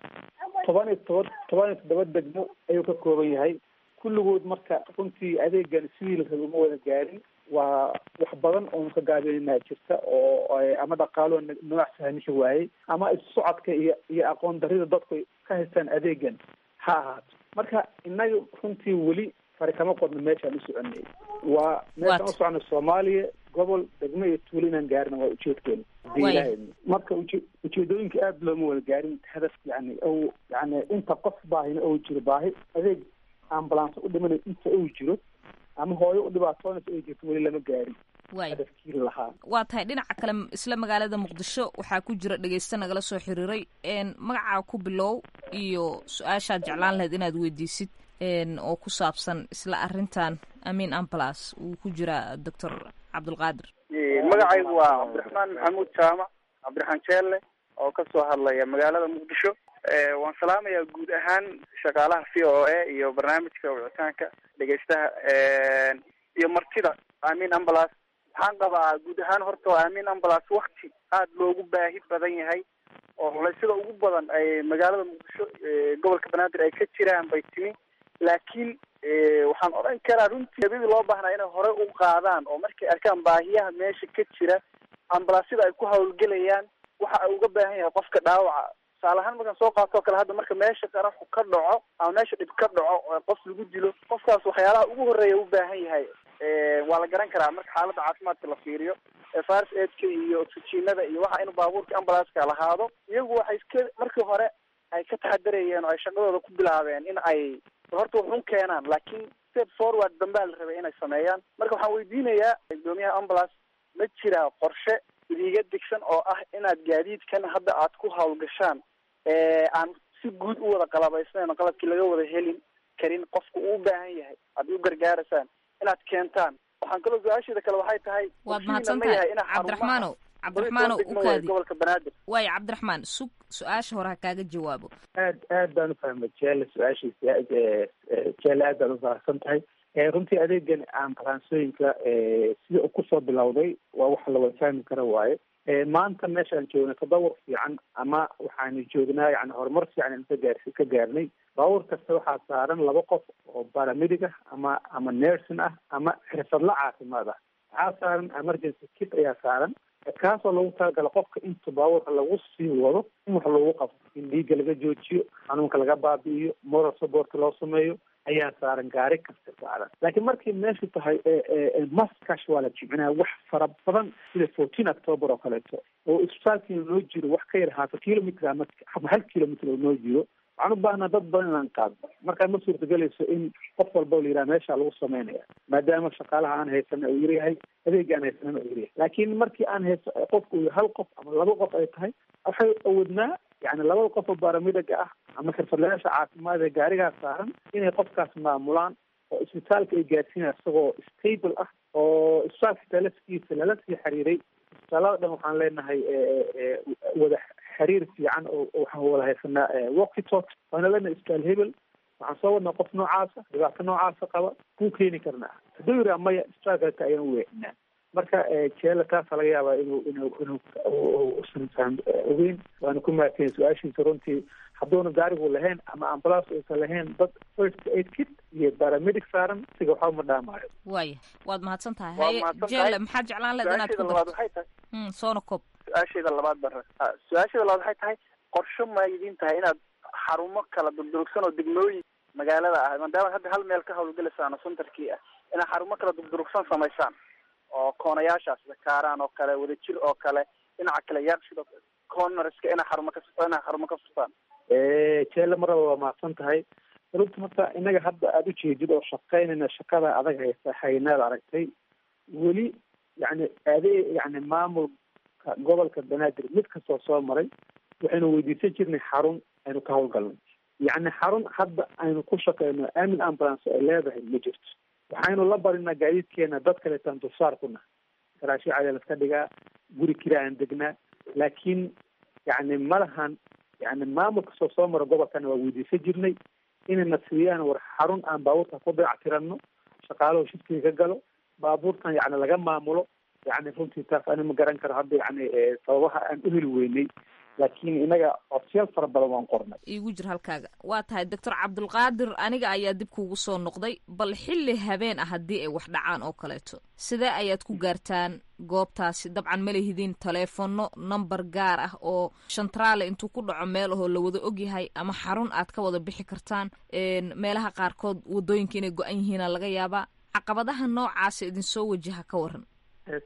S14: 17 degmo ayuu ka kooban yahay kulligood. Marka runtii adeegan sidii la rabay uma wada gaarin. Waa wax badan oonu ka gaabinayna jirta oo ama dhaqaalo nooc sahamishi waayey ama isu socodka iyo aqoon darida dadku ka haystaan adeegan ha ahaato. Marka innaga runtii weli fari kama qodno meeshaan u soconay. Waa meeshaan u soconay Soomaaliya gobol, degmo iyo tuulo inaan gaarina waa ujeedkeena, hadii Ilaahay idmo. Marka ujeedooyinka aada looma wada gaarin hadaf, yani o yani inta qof baahina ou jiro, baahi adeeg ambulance u dhimanayo inta uu jiro ama hooyo u dhibaatoonaysa ay jirto, weli lama gaarin hadafkii lahaa.
S13: Waa tahay. Dhinaca kale, isla magaalada Muqdisho waxaa ku jira dhegeyste nagala soo xiriiray. Magacaa ku bilow iyo su-aashaad jeclaan lahayd inaad weydiisid oo ku saabsan isla arrintan Amiin Ambulance uu ku jiraa Doctor Cabdulqaadir.
S16: Magacaygu waa Cabdiraxmaan Maxamuud Jaamac, Cabdiraxmaan Jeelle, oo kasoo hadlaya magaalada Muqdisho. Waan salaamayaa guud ahaan shaqaalaha VOA iyo barnaamijka wicitaanka dhegeystaha iyo martida Amiin Ambulance. Waxaan qabaa guud ahaan horta Amiin Ambulance wakti aada loogu baahi badan yahay oo culaysyada ugu badan ay magaalada Muqdisho, gobolka Banaadir ay ka jiraan bay timi. Laakiin waxaan odhan karaa runtii abidii loo baahnaa inay hore u qaadaan oo markay arkaan baahiyaha meesha ka jira, ambulansyada ay ku hawlgelayaan waxa ay uga baahan yahay qofka dhaawaca. Tusaale ahaan markaan soo qaato oo kale, hadda marka meesha qaraxu ka dhaco ama meesha dhib ka dhaco oo qof lagu dilo, qofkaas waxyaalaha ugu horreeya u baahan yahay waa la garan karaa. Marka xaaladda caafimaadka la fiiriyo, first aidka iyo oxygenada iyo waxa inuu baabuurka ambulanceka lahaado. Iyagu waxay iska markii hore ay ka taxadarayeen oo ay shaqadooda ku bilaabeen in ay horta wuxun keenaan, laakiin step forward dambaa la rabay inay sameeyaan. Marka waxaan weydiinayaa gudoomiyaha ambulance, ma jiraa qorshe idiga degsan oo ah inaad gaadiidkan hadda aad ku hawlgashaan aan si guud u wada qalabaysnayn oo qalabkii laga wada helin karin qofku uu u baahan yahay aad u gargaaraysaan inaad keentaan? Waxaan kaloo su-aasheeda kale waxay tahay
S13: Waad
S16: qorshihiina ma
S13: mahadsantahay,
S16: yahay inaa
S13: Cabdiraxmaanow. Cabdiraxmaanow, u
S16: degmo waaye
S13: kaadi.
S16: Gobolka Banaadir.
S13: Waayo, Cabdiraxmaan, sug, su-aasha hore ha kaaga jawaabo.
S14: Aad aad baan ufahmay Jeelle su-aashiisa. Jeelle, aad baad ufahamsan tahay. Runtii adeegan ambalansooyinka sida uu kusoo bilowday waa waxa la wada fahmi kara waaye. Maanta meeshaan joogna tadawur fiican ama waxaanu joognaa yani horumar fiican aynu ka gaarnay. Baabuur kasta waxaa saaran laba qof oo paramedic ah ama nursing ah ama xirfadla caafimaad ah. Waxaa saaran emergency kit ayaa saaran, kaasoo lagu talagala qofka inta baabuurka lagu sii wado in wax loogu qabto, in dhiigga laga joojiyo, xanuunka laga baabi'iyo, moral support loo sameeyo ayaa saaran gaari kasta saaran. Laakiin markay meeshu tahay mass casualty, micnaha wax fara badan sida 14 October oo kaleeto, oo isbitaalkii noo jiro wax ka yar half a kilometer ama 1 kilometer oo noo jiro, waxaan u baahnaa dad badan inaan qaadno. Markaa ma suurtagelayso in qof walba la yidhaha meesha lagu sameynaya, maadaama shaqaalaha aan haysana uu yaryahay, adeega aan haysanana uu yaryahay. Laakiin markii aan hayso qofku uu hal qof ama laba qof ay tahay, waxay awoodnaa yani labada qof oo paramedic-ga ah ama xirfadlayaasha caafimaad ee gaarigaas saaran inay qofkaas maamulaan oo isbitaalka ay gaarsiinaya isagoo stable ah, oo isbitaalka xitaa laftigiisa lala sii xiriiray. Isbitaalada dhan waxaan leenahay wada xiriir fiican oo waxaan wada haysanaa walkie talk. Waana leenahay isbitaal hebel waxaan soo wadnaa qof noocaasa, dhibaato noocaasa qaba, kuu keeni karnaa? Hadduu yiraa maya, isbitaalka ayaan u weecinaa. Marka jeela taasa laga yaabaa inuu usan faham ogeyn. Waana ku mahadsanyahay su-aashiisa runtii. Hadduuna gaarigu lahayn ama ambulance uusan lahayn dad first aid kit iyo paramedic saaran, siga waxba ma dhaamaayo.
S13: Waaya, waad mahadsan tahay.
S16: Waa
S13: Haye.
S16: mahadsan
S13: Jeelle,
S16: tahay.
S13: maxaad jeclaan lahayd inaad ku
S16: Su-aasheeda labaad
S13: darto?
S16: waxay tahay
S13: Soona koob.
S16: Su-aasheeda labaad bara, su-aasheeda labaad waxay tahay, qorsho ma idin tahay inaad xarumo kala durdurugsan oo degmooyin magaalada ah, maadaama hadda hal meel ka hawlgelaysaan oo centerkii ah, inaad xarumo kala durdurugsan samaysaan oo koonayaashaas, sida Kaaraan oo kale, Wadajir oo kale, dhinaca kale Yaaqshid oo kale, cornerska inaad xarumo ka furtaan?
S14: Jeelle, maraba waa mahadsan tahay. Runta horta innaga hadda aada u jeedid oo shaqaynayna shaqada adag haysa haynaad aragtay weli, yani adee, yani maamulka gobolka Banaadir mid kastoo soo maray waxaynu weydiisan jirnay xarun aynu ka hawlgalnay. Yacni xarun hadda aynu ku shaqeyno Aamin Ambulance ay leedahay ma jirto. Waxaynu la barinaa gaadiidkeena dad kaleetaan dulsaar ku nahay, garaashyo cadi laska dhigaa, guri kira aan degnaa, laakiin yacni ma lahan. Yani maamul kastoo soo mara gobolkana waa weydiisan jirnay inayna siiyaan war xarun aan baabuurta ku dayactiranno, shaqaaluhu shiftiga ka galo, baabuurtan yacni laga maamulo. Yani runtii taas ani ma garan karo hadda, yani sababaha aan u heli weynay, laakiin inaga codsiyaal fara badan waan qornay.
S13: Iigu jir halkaaga. Waa tahay, Doctor Cabdulqaadir, aniga ayaa dib kuugu soo noqday. Bal xilli habeen ah haddii ay wax dhacaan oo kaleeto, sidee ayaad ku gaartaan goobtaasi? Dabcan ma lihidin taleefono, number gaar ah oo shantraale intuu ku dhaco meel ahoo la wada ogyahay ama xarun aad ka wada bixi kartaan. Meelaha qaarkood wadooyinka inay go-an yihiina laga yaabaa. Caqabadaha noocaasa idinsoo wajaha ka waran.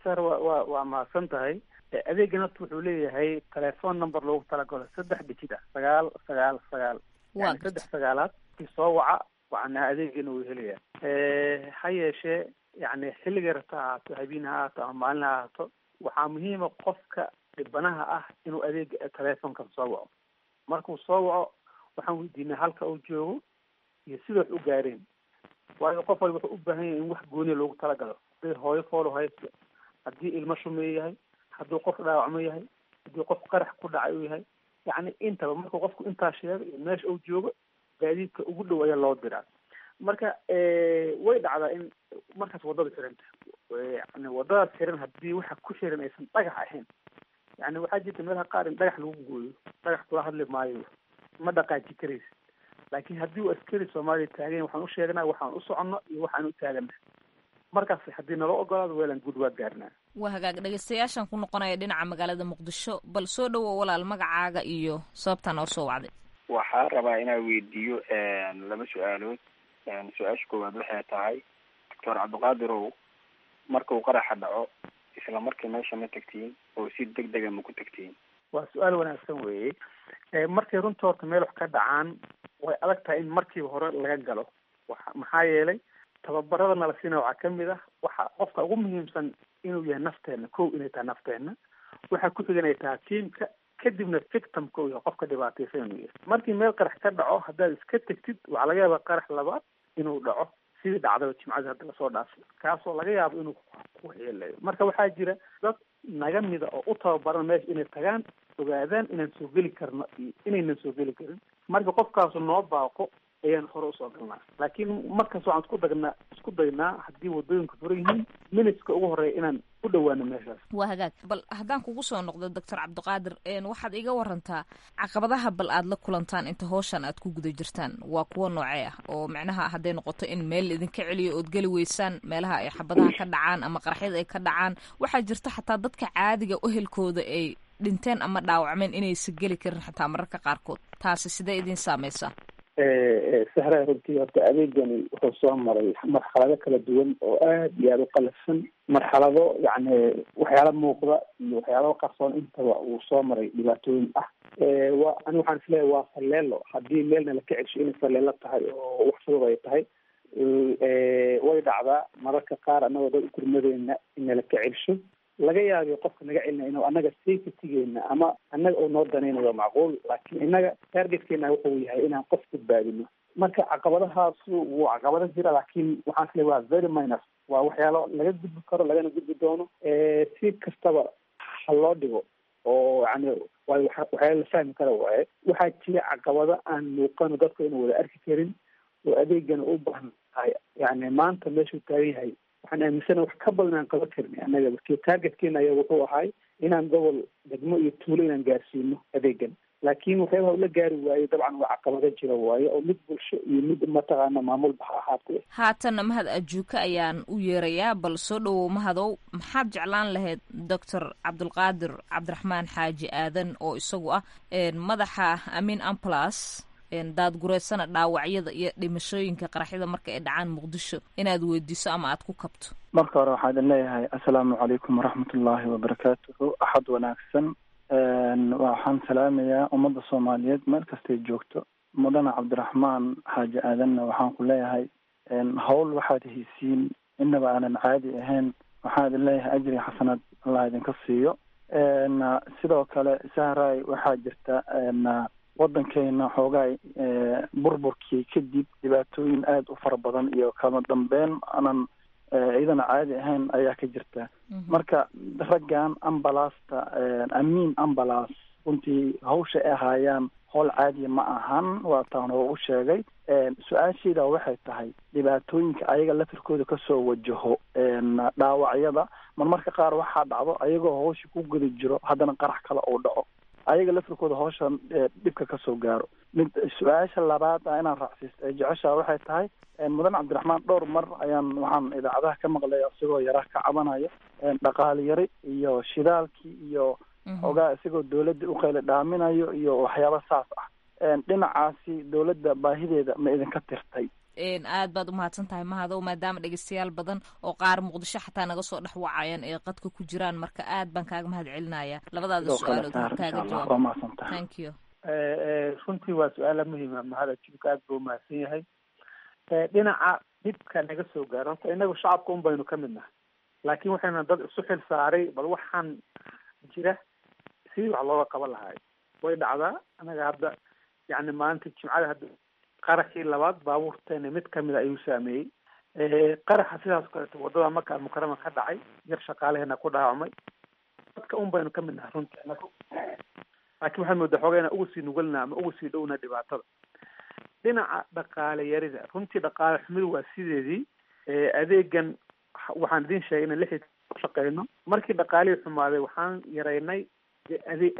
S14: Sar, waa mahadsan tahay. Adeegan horta wuxuu leeyahay telephone number loogu talagalo, saddex digit ah, 999.
S13: Waa
S14: Yani saddex sagaalaad kii soo waca wacnaa adeegana wuu helaya. Ha yeeshee, yani xilligay rabto ha ahaato, habeen ha ahaato ama maalin ha ahaato, waxaa muhiima qofka dhibanaha ah inuu adeega telefonkan soo waco. Markuu soo waco, waxaan weydiinaa halka uu joogo iyo sida wax u gaareen, waayo qof walba wuxuu u baahan yahay in wax gooniya loogu talagalo. Hadday hooyo foolo haysto, haddii ilmo shumeeye yahay, hadduu qof dhaawacmo yahay, haddii qof qarax ku dhacay uu yahay, yacni intaba markuu qofku intaa sheego iyo meesha uu joogo, gaadiidka ugu dhow ayaa loo diraa. Marka way dhacdaa in markaas waddada xiranta, yani waddadaas xiran haddii waxa ku xiran aysan dhagax ahayn. Yani waxaa jirta meelaha qaar in dhagax lagu gooyo, dhagax kula hadli maayo, ma dhaqaaji karaysid. Laakiin haddii uu askari Soomaaliya taagan yahay, waxaan u sheegnaa waxaan u soconno iyo waxaan u taagana. Markaas haddii nala ogolaado, weelan guud waa gaarnaa.
S13: Waa hagaag. Dhegeystayaashan ku noqonaya dhinaca magaalada Muqdisho. Bal soo dhowow walaal, magacaaga iyo sababtaa noo soo wacday.
S17: Waxaa rabaa inaan weydiiyo laba su-aalood. Su-aasha koowaad waxay tahay, Doctor Cabdiqaadirow, markuu qaraxa dhaco isla markii meesha ma tagtiin oo si deg dega ma ku tagtiin?
S14: Waa su-aal wanaagsan weeye. Markay runta horta meel wax ka dhacaan, way adag tahay in markiiba hore laga galo. Maxaa yeelay tababarada nala siina waxaa kamid ah waxa qofka ugu muhiimsan inuu yahay nafteena kow, inay tahay nafteena, waxaa ku xigan ay tahay tiimka, kadibna victimka uu yahay qofka dhibaataysan inuu yahay. Markii meel qarax ka dhaco haddaad iska tegtid, waxaa laga yaabaa qarax labaad inuu dhaco, sidii dhacdaba jimcadii hadda lasoo dhaafay, kaasoo laga yaabo inuu ku waxyeeleeyo. Marka waxaa jira dad naga mida oo u tababaran meesha inay tagaan, ogaadaan inaan soo geli karno iyo inaynan soo geli karin. Marka qofkaasu noo baaqo ayaan hore usoo galnaa, laakiin markaas waxaan isku daynaa haddii wadooyinka furan yihiin minuteska ugu horeeya inaan u dhowaano meeshaas.
S13: Waa hagaag. Bal haddaan kugu soo noqdo, Doctor Cabdiqaadir, waxaad iga warantaa caqabadaha bal aad la kulantaan inta howshan aad ku guda jirtaan, waa kuwo noocee ah, oo macnaha hadday noqoto in meel idinka celiyo ood geli weysaan, meelaha ay xabadaha ka dhacaan ama qaraxyada ay ka dhacaan? Waxaa jirta xataa dadka caadiga ehelkooda ay dhinteen ama dhaawacmeen inaysa geli karin xataa mararka qaarkood. Taasi sidee idin saameysaa?
S14: Sahra, runtii horta adeegani wuxuu soo maray marxalado kala duwan oo aad iyo aada u qalafsan, marxalado yacni waxyaala muuqda iyo waxyaalo qarsoon intaba uu soo maray, dhibaatooyin ah. Wa ani waxaan isleeyahay waa falleelo. Haddii meelna laka cesho inay falleelo tahay oo wax fudud ay tahay. Way dhacdaa mararka qaar annagoo dad u gurmadeyna in nala ka celsho. Laga yaabiyo qofka naga celinaya inuu annaga safetygeena ama annaga uu noo danaynayo, macquul, laakiin innaga targetkeena wuxuu yahay inaan qof badbaadino. Marka caqabadahaasu wuu caqabado jira, laakiin waxaan isleeyahay waa very minor, waa waxyaalo laga gudbi karo, lagana gudbi doono. Si kastaba ha loo dhigo oo yani waa waxyaalo la fahmi kara waaye. Waxaa jira caqabado aan muuqano, dadku inuu wada arki karin, oo adeegana u baahan tahay, yani maanta meeshuu taagan yahay Waxaan aaminsana wax ka badan aan qaban karnay annaga. Markii targetkeena ayaa wuxuu ahay inaan gobol, degmo iyo tuulo inaan gaarsiino adeegan, laakiin waxyaabaha ula gaari waayo dabcan waa caqabado jira waayo, oo mid bulsho iyo mid mataqaana maamulba ha ahaatee.
S13: Haatanna Mahad Ajuuka ayaan u yeerayaa. Bal soo dhowow Mahadow, maxaad jeclaan lahayd Doctor Cabdulqaadir Cabdiraxmaan Xaaji Aadan oo isagu ah madaxa Amiin Ambulance, daadgureysana dhaawacyada iyo dhimashooyinka qaraxyada marka ay dhacaan Muqdisho, inaad weydiiso ama aad ku kabto?
S18: Marka hore waxaa idin leeyahay assalaamu calaykum waraxmatullaahi wabarakaatuhu, axad wanaagsan. Waxaan salaamayaa ummadda Soomaaliyeed meel kastay joogto. Mudane Cabdiraxmaan Xaaji Aadanna waxaan ku leeyahay howl waxaad haysiin inaba aanan caadi ahayn. Waxaan idin leeyahay ajri xasanaad Allah idinka siiyo. Sidoo kale Sahray, waxaa jirta waddankeena xoogaa burburkii kadib dhibaatooyin aada u fara badan iyo kala dambeyn aanan iyadana caadi ahayn ayaa ka jirta. Marka raggan ambalaasta, Amiin Ambulance, runtii hawsha ay ahaayaan howl caadiya ma ahan, waa taan hore u sheegay. Su-aashayda waxay tahay dhibaatooyinka ayaga lafirkooda kasoo wajaho dhaawacyada. Marmarka qaar waxaa dhacdo ayagoo hawsha ku guda jiro haddana qarax kale uu dhaco, ayaga lafirkooda hawshan dhibka kasoo gaaro. Mid su-aasha labaad ah inaan raacsiisto ee jeceshaa waxay tahay, mudan Cabdiraxmaan dhowr mar ayaan waxaan idaacadaha ka maqlay isagoo yaraha ka cabanaya dhaqaale yari iyo shidaalkii iyo xoogaa isagoo dawladda u qayla dhaaminayo iyo waxyaaba saas ah. Dhinacaasi dawladda baahideeda ma idinka tirtay?
S13: Aad baad umahadsan tahay Mahadow, maadaama dhegeystayaal badan oo qaar Muqdisho xataa naga soo dhex wacayaan ee qadka ku jiraan, marka aad baan kaaga mahad celinaya labadaada su-aalood kaaga jawaab.
S18: Waa mahadsantahay.
S13: Thank you.
S14: Runtii waa su-aala muhiima. Mahad Ajuubka aad buu umahadsan yahay. Dhinaca dhibka naga soo gaaro, horta inagu shacabka un baynu ka mid nahay, laakiin waxayna dad isu xil saaray bal waxaan jira sidii wax looga qaban lahaay. Way dhacdaa, anaga hadda yacni maalinta Jimcada hadda qaraxii labaad baabuurteena mid kamida ayuu saameeyey. Qaraxa sidaas kaleeto wadada Maka Almukarama ka dhacay, yar shaqaalaheena ku dhaawacmay. Dadka un baynu ka mid nahay runtii anagu, laakiin waxaan moodaa xoogaa inaan ugu sii nugulnaa ama ugu sii dhowna dhibaatada. Dhinaca dhaqaale yarida, runtii dhaqaale xumidu waa sideedii. Adeegan waxaan idin sheegay inaan 6 shaqeyno. Markii dhaqaalihii xumaaday waxaan yaraynay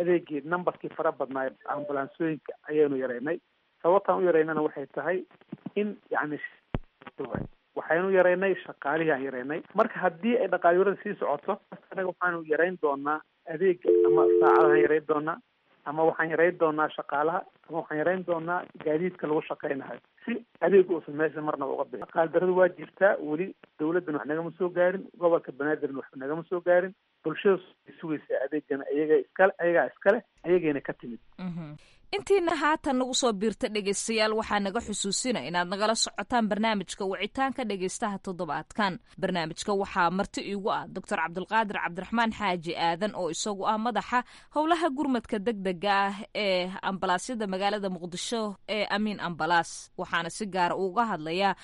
S14: adeegii, numberkii fara badnaa ambulansooyinka ayaynu yaraynay. Sababtaan u yaraynana waxay tahay in yacni waxaynu yaraynay shaqaalihii aan yaraynay. Marka haddii ay dhaqaale yarada sii socoto, anaga waxaanu yarayn doonaa adeega, ama saacadahaan yarayn doonaa, ama waxaan yarayn doonaa shaqaalaha, ama waxaan yarayn doonaa gaadiidka lagu shaqeynayo, si adeegu uusan meesha marnaba uga bixin. Dhaqaale daradu waa jirtaa weli, dawladdana wax nagama soo gaarin, gobolka Banaadirna wax nagama soo gaarin. Bulshada sugaysa adeegana iyaga iskale, ayagaa iskale, ayagayna ka timid.
S13: Intiina haatan nagu soo biirta dhegaystayaal, waxaa naga xusuusina inaad nagala socotaan barnaamijka wicitaanka dhegaystaha toddobaadkan. Barnaamijka waxaa marti iigu ah Doctor Cabdulqaadir Cabdiraxmaan Xaaji Aadan oo isagu ah madaxa howlaha gurmadka degdega ah ee ambalaasyada magaalada Muqdisho ee Amiin Ambalaas, waxaana si gaara uga hadlayaa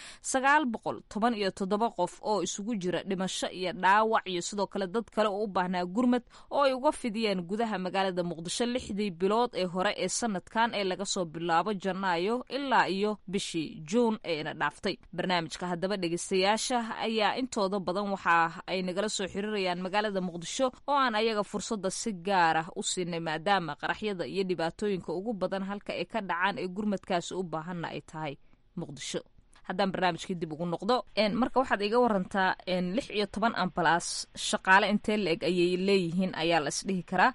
S13: 917 qof oo isugu jira dhimasho iyo dhaawac iyo sidoo kale dad kale oo u baahnaa gurmad oo ay uga fidiyeen gudaha magaalada Muqdisho 6dii bilood ee hore ee sanadkan ee laga soo bilaabo Janaayo ilaa iyo bishii Juun ee ina dhaaftay. Barnaamijka haddaba dhegeystayaasha ayaa intooda badan waxa ay nagala soo xiriirayaan magaalada Muqdisho oo aan ayaga fursadda si gaar ah u siinay, maadaama qaraxyada iyo dhibaatooyinka ugu badan halka ay ka dhacaan ee gurmadkaasi u baahanna ay tahay Muqdisho. Haddaan barnaamijkii dib ugu noqdo, marka waxaad iga warantaa 16 ambalaas shaqaale intee la-eg ayay leeyihiin ayaa la isdhihi karaa?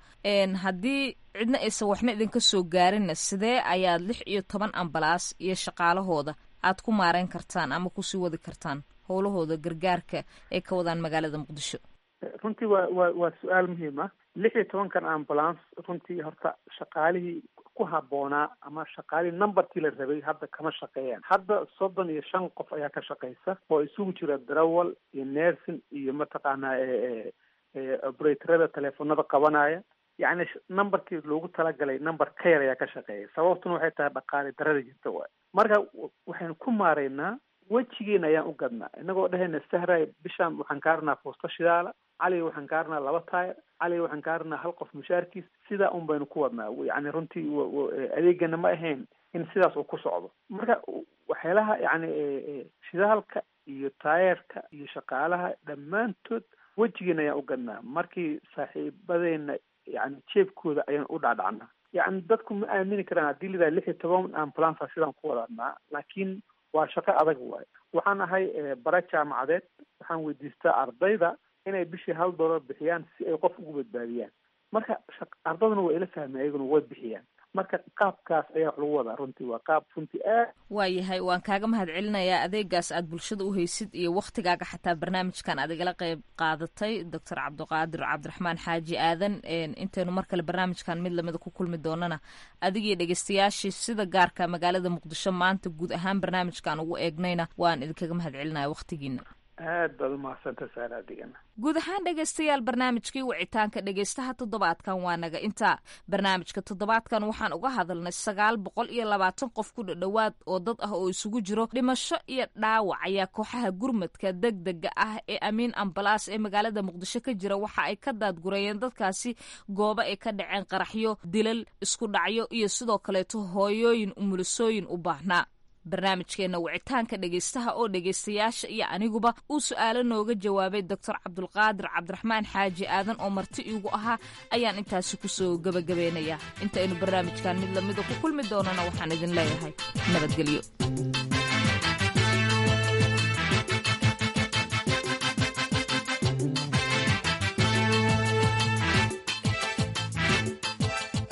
S13: Haddii cidna aysan waxna idinka soo gaarinna, sidee ayaad 16 ambalaas iyo shaqaalahooda aad ku maareyn kartaan ama kusii wadi kartaan howlahooda gargaarka ay ka wadaan magaalada Muqdisho?
S14: Runtii waa su-aal muhiim ah. 16-kan ambulance runtii horta shaqaalihii ku habboonaa ama shaqaalihii numberkii la rabay hadda kama shaqeeyaan. Hadda 35 qof ayaa ka shaqeysa oo isugu jira darawal iyo nursing iyo mataqaanaa operatorada teleefonada qabanaya. Yacni numberkii loogu talagalay number ka yar ayaa ka shaqeeya. Sababtuna waxay tahay dhaqaale darada jirta waay. Marka waxaynu ku maareynaa wejigeena ayaan u gadnaa, inagoo dhehayna Sahray, bishaan waxaan kaarnaa foosto shidaala, Cali waxaan kaarnaa 2 taayir, Cali waxaan kaarnaa hal qof mushaarkiis. Sidaa un baynu ku wadnaa. Yacni runtii adeegana ma ahayn in sidaas uu ku socdo. Marka waxyaalaha yacni shidaalka iyo taayeerka iyo shaqaalaha dhammaantood wejigeena ayaan u gadnaa. Markii saaxiibadeena yani jeebkooda ayaan u dhacdhacnaa. Yani dadku ma aamini karaan haddii lidaa 16 ambulance sidaan ku wadanaa, laakiin waa shaqo adag waayo. Waxaan ahay bara jaamacadeed, waxaan weydiistaa ardayda inay bishii $1 bixiyaan si ay qof ugu badbaadiyaan. Marka ardaduna waa ila fahmay, ayaguna way bixiyaan. Marka qaabkaas ayaa wax lagu wadaa. Runtii waa qaab runtii aad
S13: Waayahay, waan kaaga mahad celinayaa adeegaas aad bulshada u haysid iyo waktigaaga xataa barnaamijkan aad igala qeyb qaadatay, Doctor Cabdiqaadir Cabdiraxmaan Xaaji Aadan. Intaynu mar kale barnaamijkan mid lamida ku kulmi doonana, adigiyo dhegeystayaashii sida gaarka magaalada Muqdisho maanta guud ahaan barnaamijkan ugu eegnayna, waan idinkaga mahad celinaya waktigiina.
S14: Aad baad umahadsanta saara adigana.
S13: Guud ahaan dhegaystayaal, barnaamijkii wicitaanka dhegaystaha toddobaadkan waa naga intaa. Barnaamijka toddobaadkan waxaan uga hadalnay 920 qof ku dhadhowaad oo dad ah oo isugu jiro dhimasho iyo dhaawac ayaa kooxaha gurmadka degdega ah ee Amiin Ambalaas ee magaalada Muqdisho ka jira waxa ay ka daadgurayeen dadkaasi goobo ay ka dhaceen qaraxyo, dilal, isku dhacyo iyo sidoo kaleeto hooyooyin umulisooyin u baahnaa. Barnaamijkeena wicitaanka dhegaystaha oo dhegaystayaasha iyo aniguba uu su-aalo nooga jawaabay Doctor Cabdulqaadir Cabdiraxmaan Xaaji Aadan oo marti iigu ahaa ayaan intaasi kusoo gebagabeynaya. Intaynu barnaamijkan mid lamida ku kulmi doonana, waxaan idin leeyahay nabadgelyo.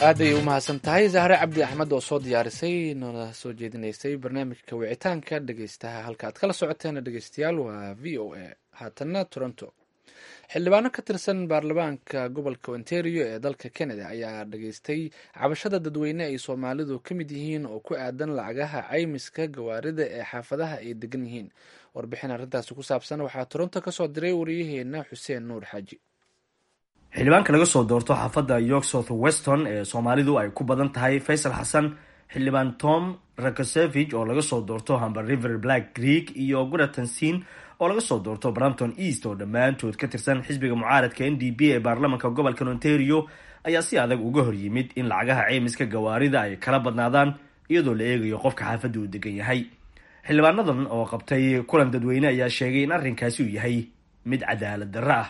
S2: Aad ayay u mahadsan tahay Zahre Cabdi Axmed oo soo diyaarisay noona soo jeedinaysay barnaamijka wicitaanka dhegeystaha. Halka aad kala socoteen dhegeystayaal waa VOA. Haatanna Toronto. Xildhibaano ka tirsan baarlamaanka gobolka Ontario ee dalka Canada ayaa dhageystay cabashada dadweyne ay Soomaalidu ka mid yihiin oo ku aadan lacagaha caymiska gawaarida ee xaafadaha ay degan yihiin. Warbixin arrintaasi ku saabsan waxaa Toronto kasoo diray wariyaheena Xuseen Nuur Xaaji.
S19: Xildhibaanka laga soo doorto xaafadda York South Weston ee Soomaalidu ay ku badan tahay, Faysal Xasan, xildhibaan Tom Rakosevich oo laga soo doorto Humber River Black Creek iyo Guratansin oo laga soo doorto Brampton East, oo dhammaantood ka tirsan xisbiga mucaaradka NDP ee baarlamanka gobolkan Ontario, ayaa si adag uga hor yimid in lacagaha ceymiska gawaarida ay kala badnaadaan iyadoo la eegayo qofka xaafadda uu degan yahay. Xildhibaanadan oo qabtay kulan dadweyne ayaa sheegay in arrinkaasi uu yahay mid cadaalad darro ah.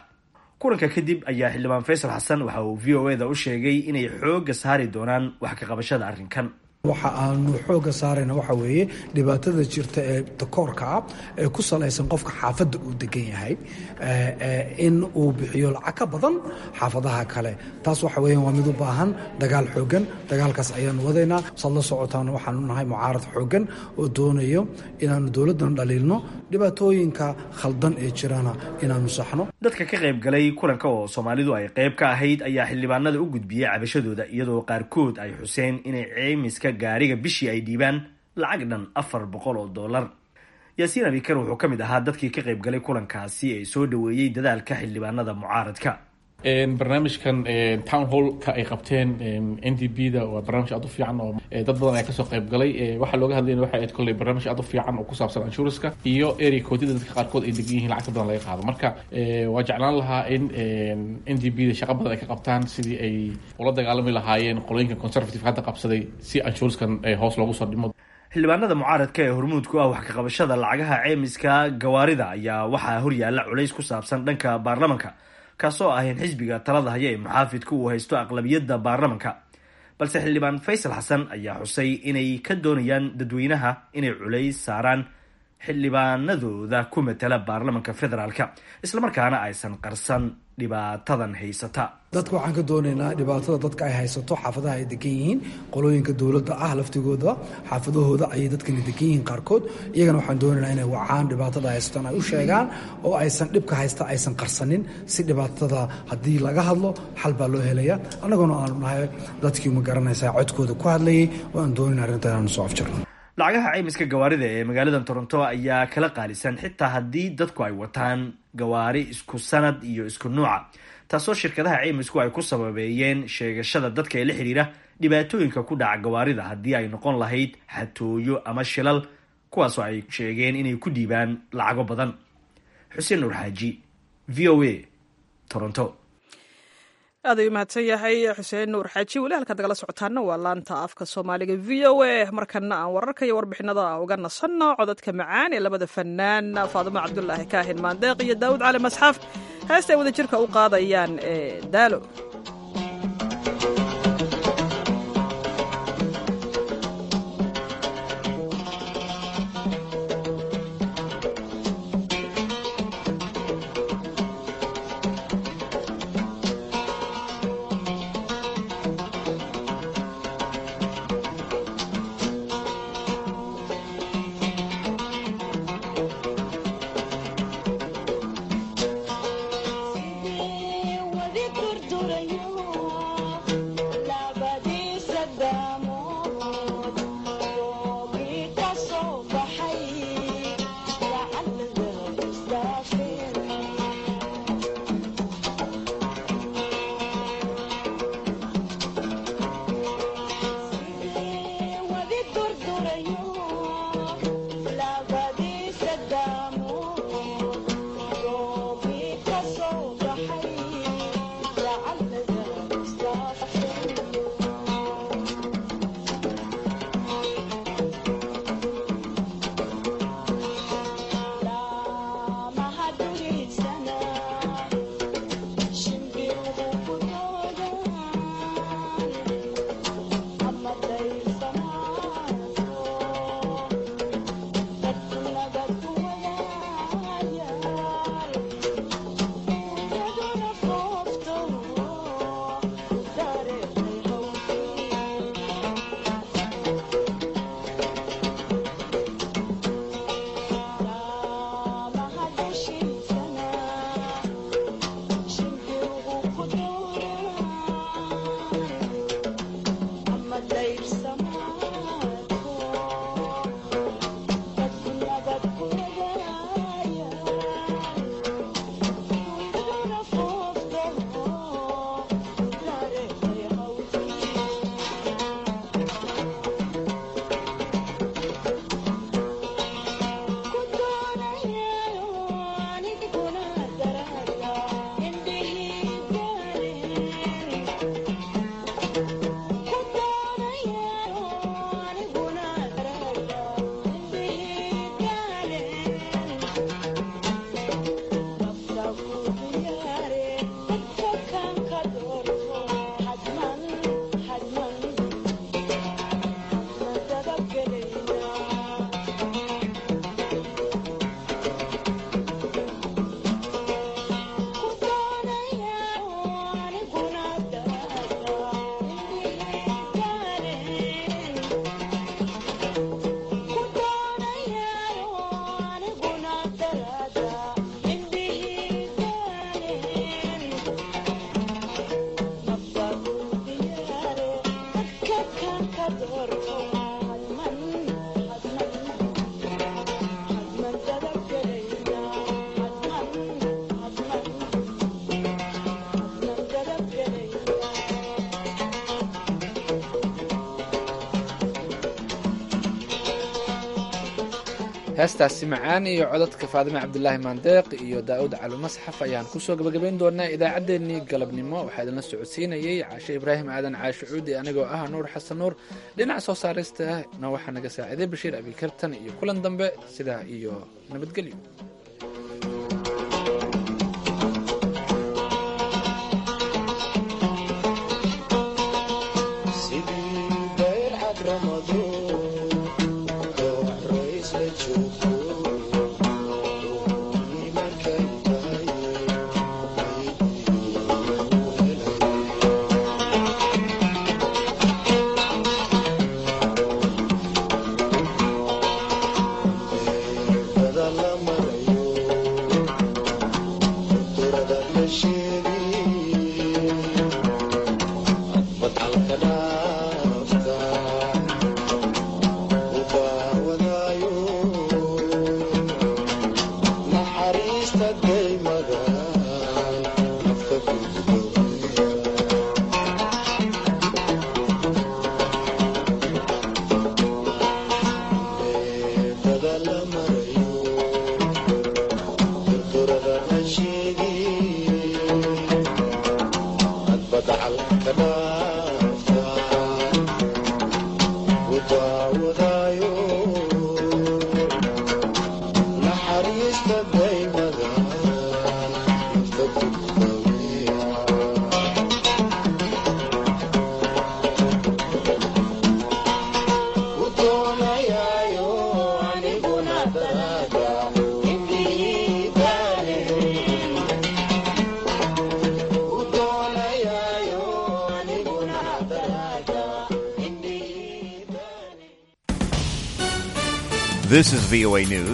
S19: Kulanka kadib ayaa xildhibaan Faysal Xasan waxa uu VOA da u sheegay inay xoogga saari doonaan wax ka qabashada arrinkan.
S20: Waxa aanu xoogga saarayna waxa weeye dhibaatada jirta ee takoorka ah ee ku salaysan qofka xaafadda uu degan yahay in uu bixiyo lacag ka badan xaafadaha kale. Taas waxa weeyaan waa mid u baahan dagaal xooggan. Dagaalkaas ayaanu wadaynaa. Saad la socotaan, waxaanu nahay mucaarad xooggan oo doonayo inaanu dowladdan dhaliilno, dhibaatooyinka khaldan ee jirana inaanu saxno.
S19: Dadka ka qayb galay kulanka oo Soomaalidu ay qayb ka ahayd ayaa xildhibaanada u gudbiyey cabashadooda, iyadoo qaarkood ay xuseen inay ceymiska gaariga bishii ay dhiibaan lacag dhan $400. Yaasiin Abikar wuxuu ka mid ahaa dadkii ka qayb galay kulankaasi ee soo dhoweeyey dadaalka xildhibaanada mucaaradka.
S21: Barnaamijkan town hallka ay qabteen NDP da waa barnaamij aad u fiican oo dad badan ayaa kasoo qayb galay. Waxaa looga hadlayna waxay ahayd kolley barnaamij aad u fiican oo ku saabsan insurance-ka iyo area code-yada dadka qaarkood ay degan yihiin lacagta badan laga qaado. Marka waa jeclaan lahaa in NDP da shaqo badan ay ka qabtaan sidii ay ula dagaalami lahaayeen qolooyinka Conservative hadda qabsaday, si insurance-kan hoos loogu soo dhimo.
S19: Xildhibaanada mucaaradka ee hormuudku ah wax ka qabashada lacagaha ceymiska gawaarida ayaa waxaa horyaalla culays ku saabsan dhanka baarlamanka, kaasoo ah in xisbiga talada haya ee muxaafidku uu haysto aqlabiyadda baarlamanka. Balse xildhibaan Faysal Xasan ayaa xusay inay ka doonayaan dadweynaha inay culays saaraan xildhibaanadooda ku matala baarlamanka federaalka, islamarkaana aysan qarsan dhibaatadan haysata.
S20: Dadka waxaan ka doonaynaa dhibaatada dadka ay haysato xaafadaha ay degan yihiin, qolooyinka dowladda ah laftigooda xaafadahooda ayay dadkani degan yihiin qaarkood. Iyagana waxaan doonaynaa inay wacaan, dhibaatada haysataan ay u sheegaan oo aysan dhibka haysta aysan qarsanin, si dhibaatada haddii laga hadlo xal baa loo helaya. Annaguna aanu nahay dadkii, ma garanaysaa, codkooda ku hadlayay oo aan doonayna arrinta inaanu soo afjarno.
S19: Lacagaha ceymiska gawaarida ee magaalada Toronto ayaa kala qaalisan xitaa haddii dadku ay wataan gawaari isku sanad iyo isku nuuca, taasoo shirkadaha ceymisku ay ku sababeeyeen sheegashada dadka ee la xiriira dhibaatooyinka ku dhaca gawaarida, haddii ay noqon lahayd xatooyo ama shilal, kuwaasoo ay sheegeen inay ku dhiibaan lacago badan. Xuseen Nuur Xaaji, VOA, Toronto.
S1: Aad ayuu mahadsan yahay Xuseen Nuur Xaaji. Weli halkaad nagala socotaana waa laanta afka Soomaaliga v o a. Markana aan wararka iyo warbixinada uga nasanno codadka macaan ee labada fanaan Faadimo Cabdulaahi Kaahin Maandeeq iyo Daawud Cali Masxaf, heesta ay wadajirka u qaadayaan ee Daalo.
S2: Heestaasi macaan iyo codadka Faadime Cabdilaahi Maandeeq iyo Daa'uud Cali Masxaf ayaan kusoo gabagabayn doonaa idaacaddeenii galabnimo. Waxaa idinla socodsiinayay Caashe Ibraahim Aadan Caashe Cuudi, anigoo ah Nuur Xasan Nuur. Dhinaca soo saaristana waxaa naga saaciiday Bashiir Abikartan, iyo kulan dambe sidaa iyo nabadgelyo.
S6: This is VOA News.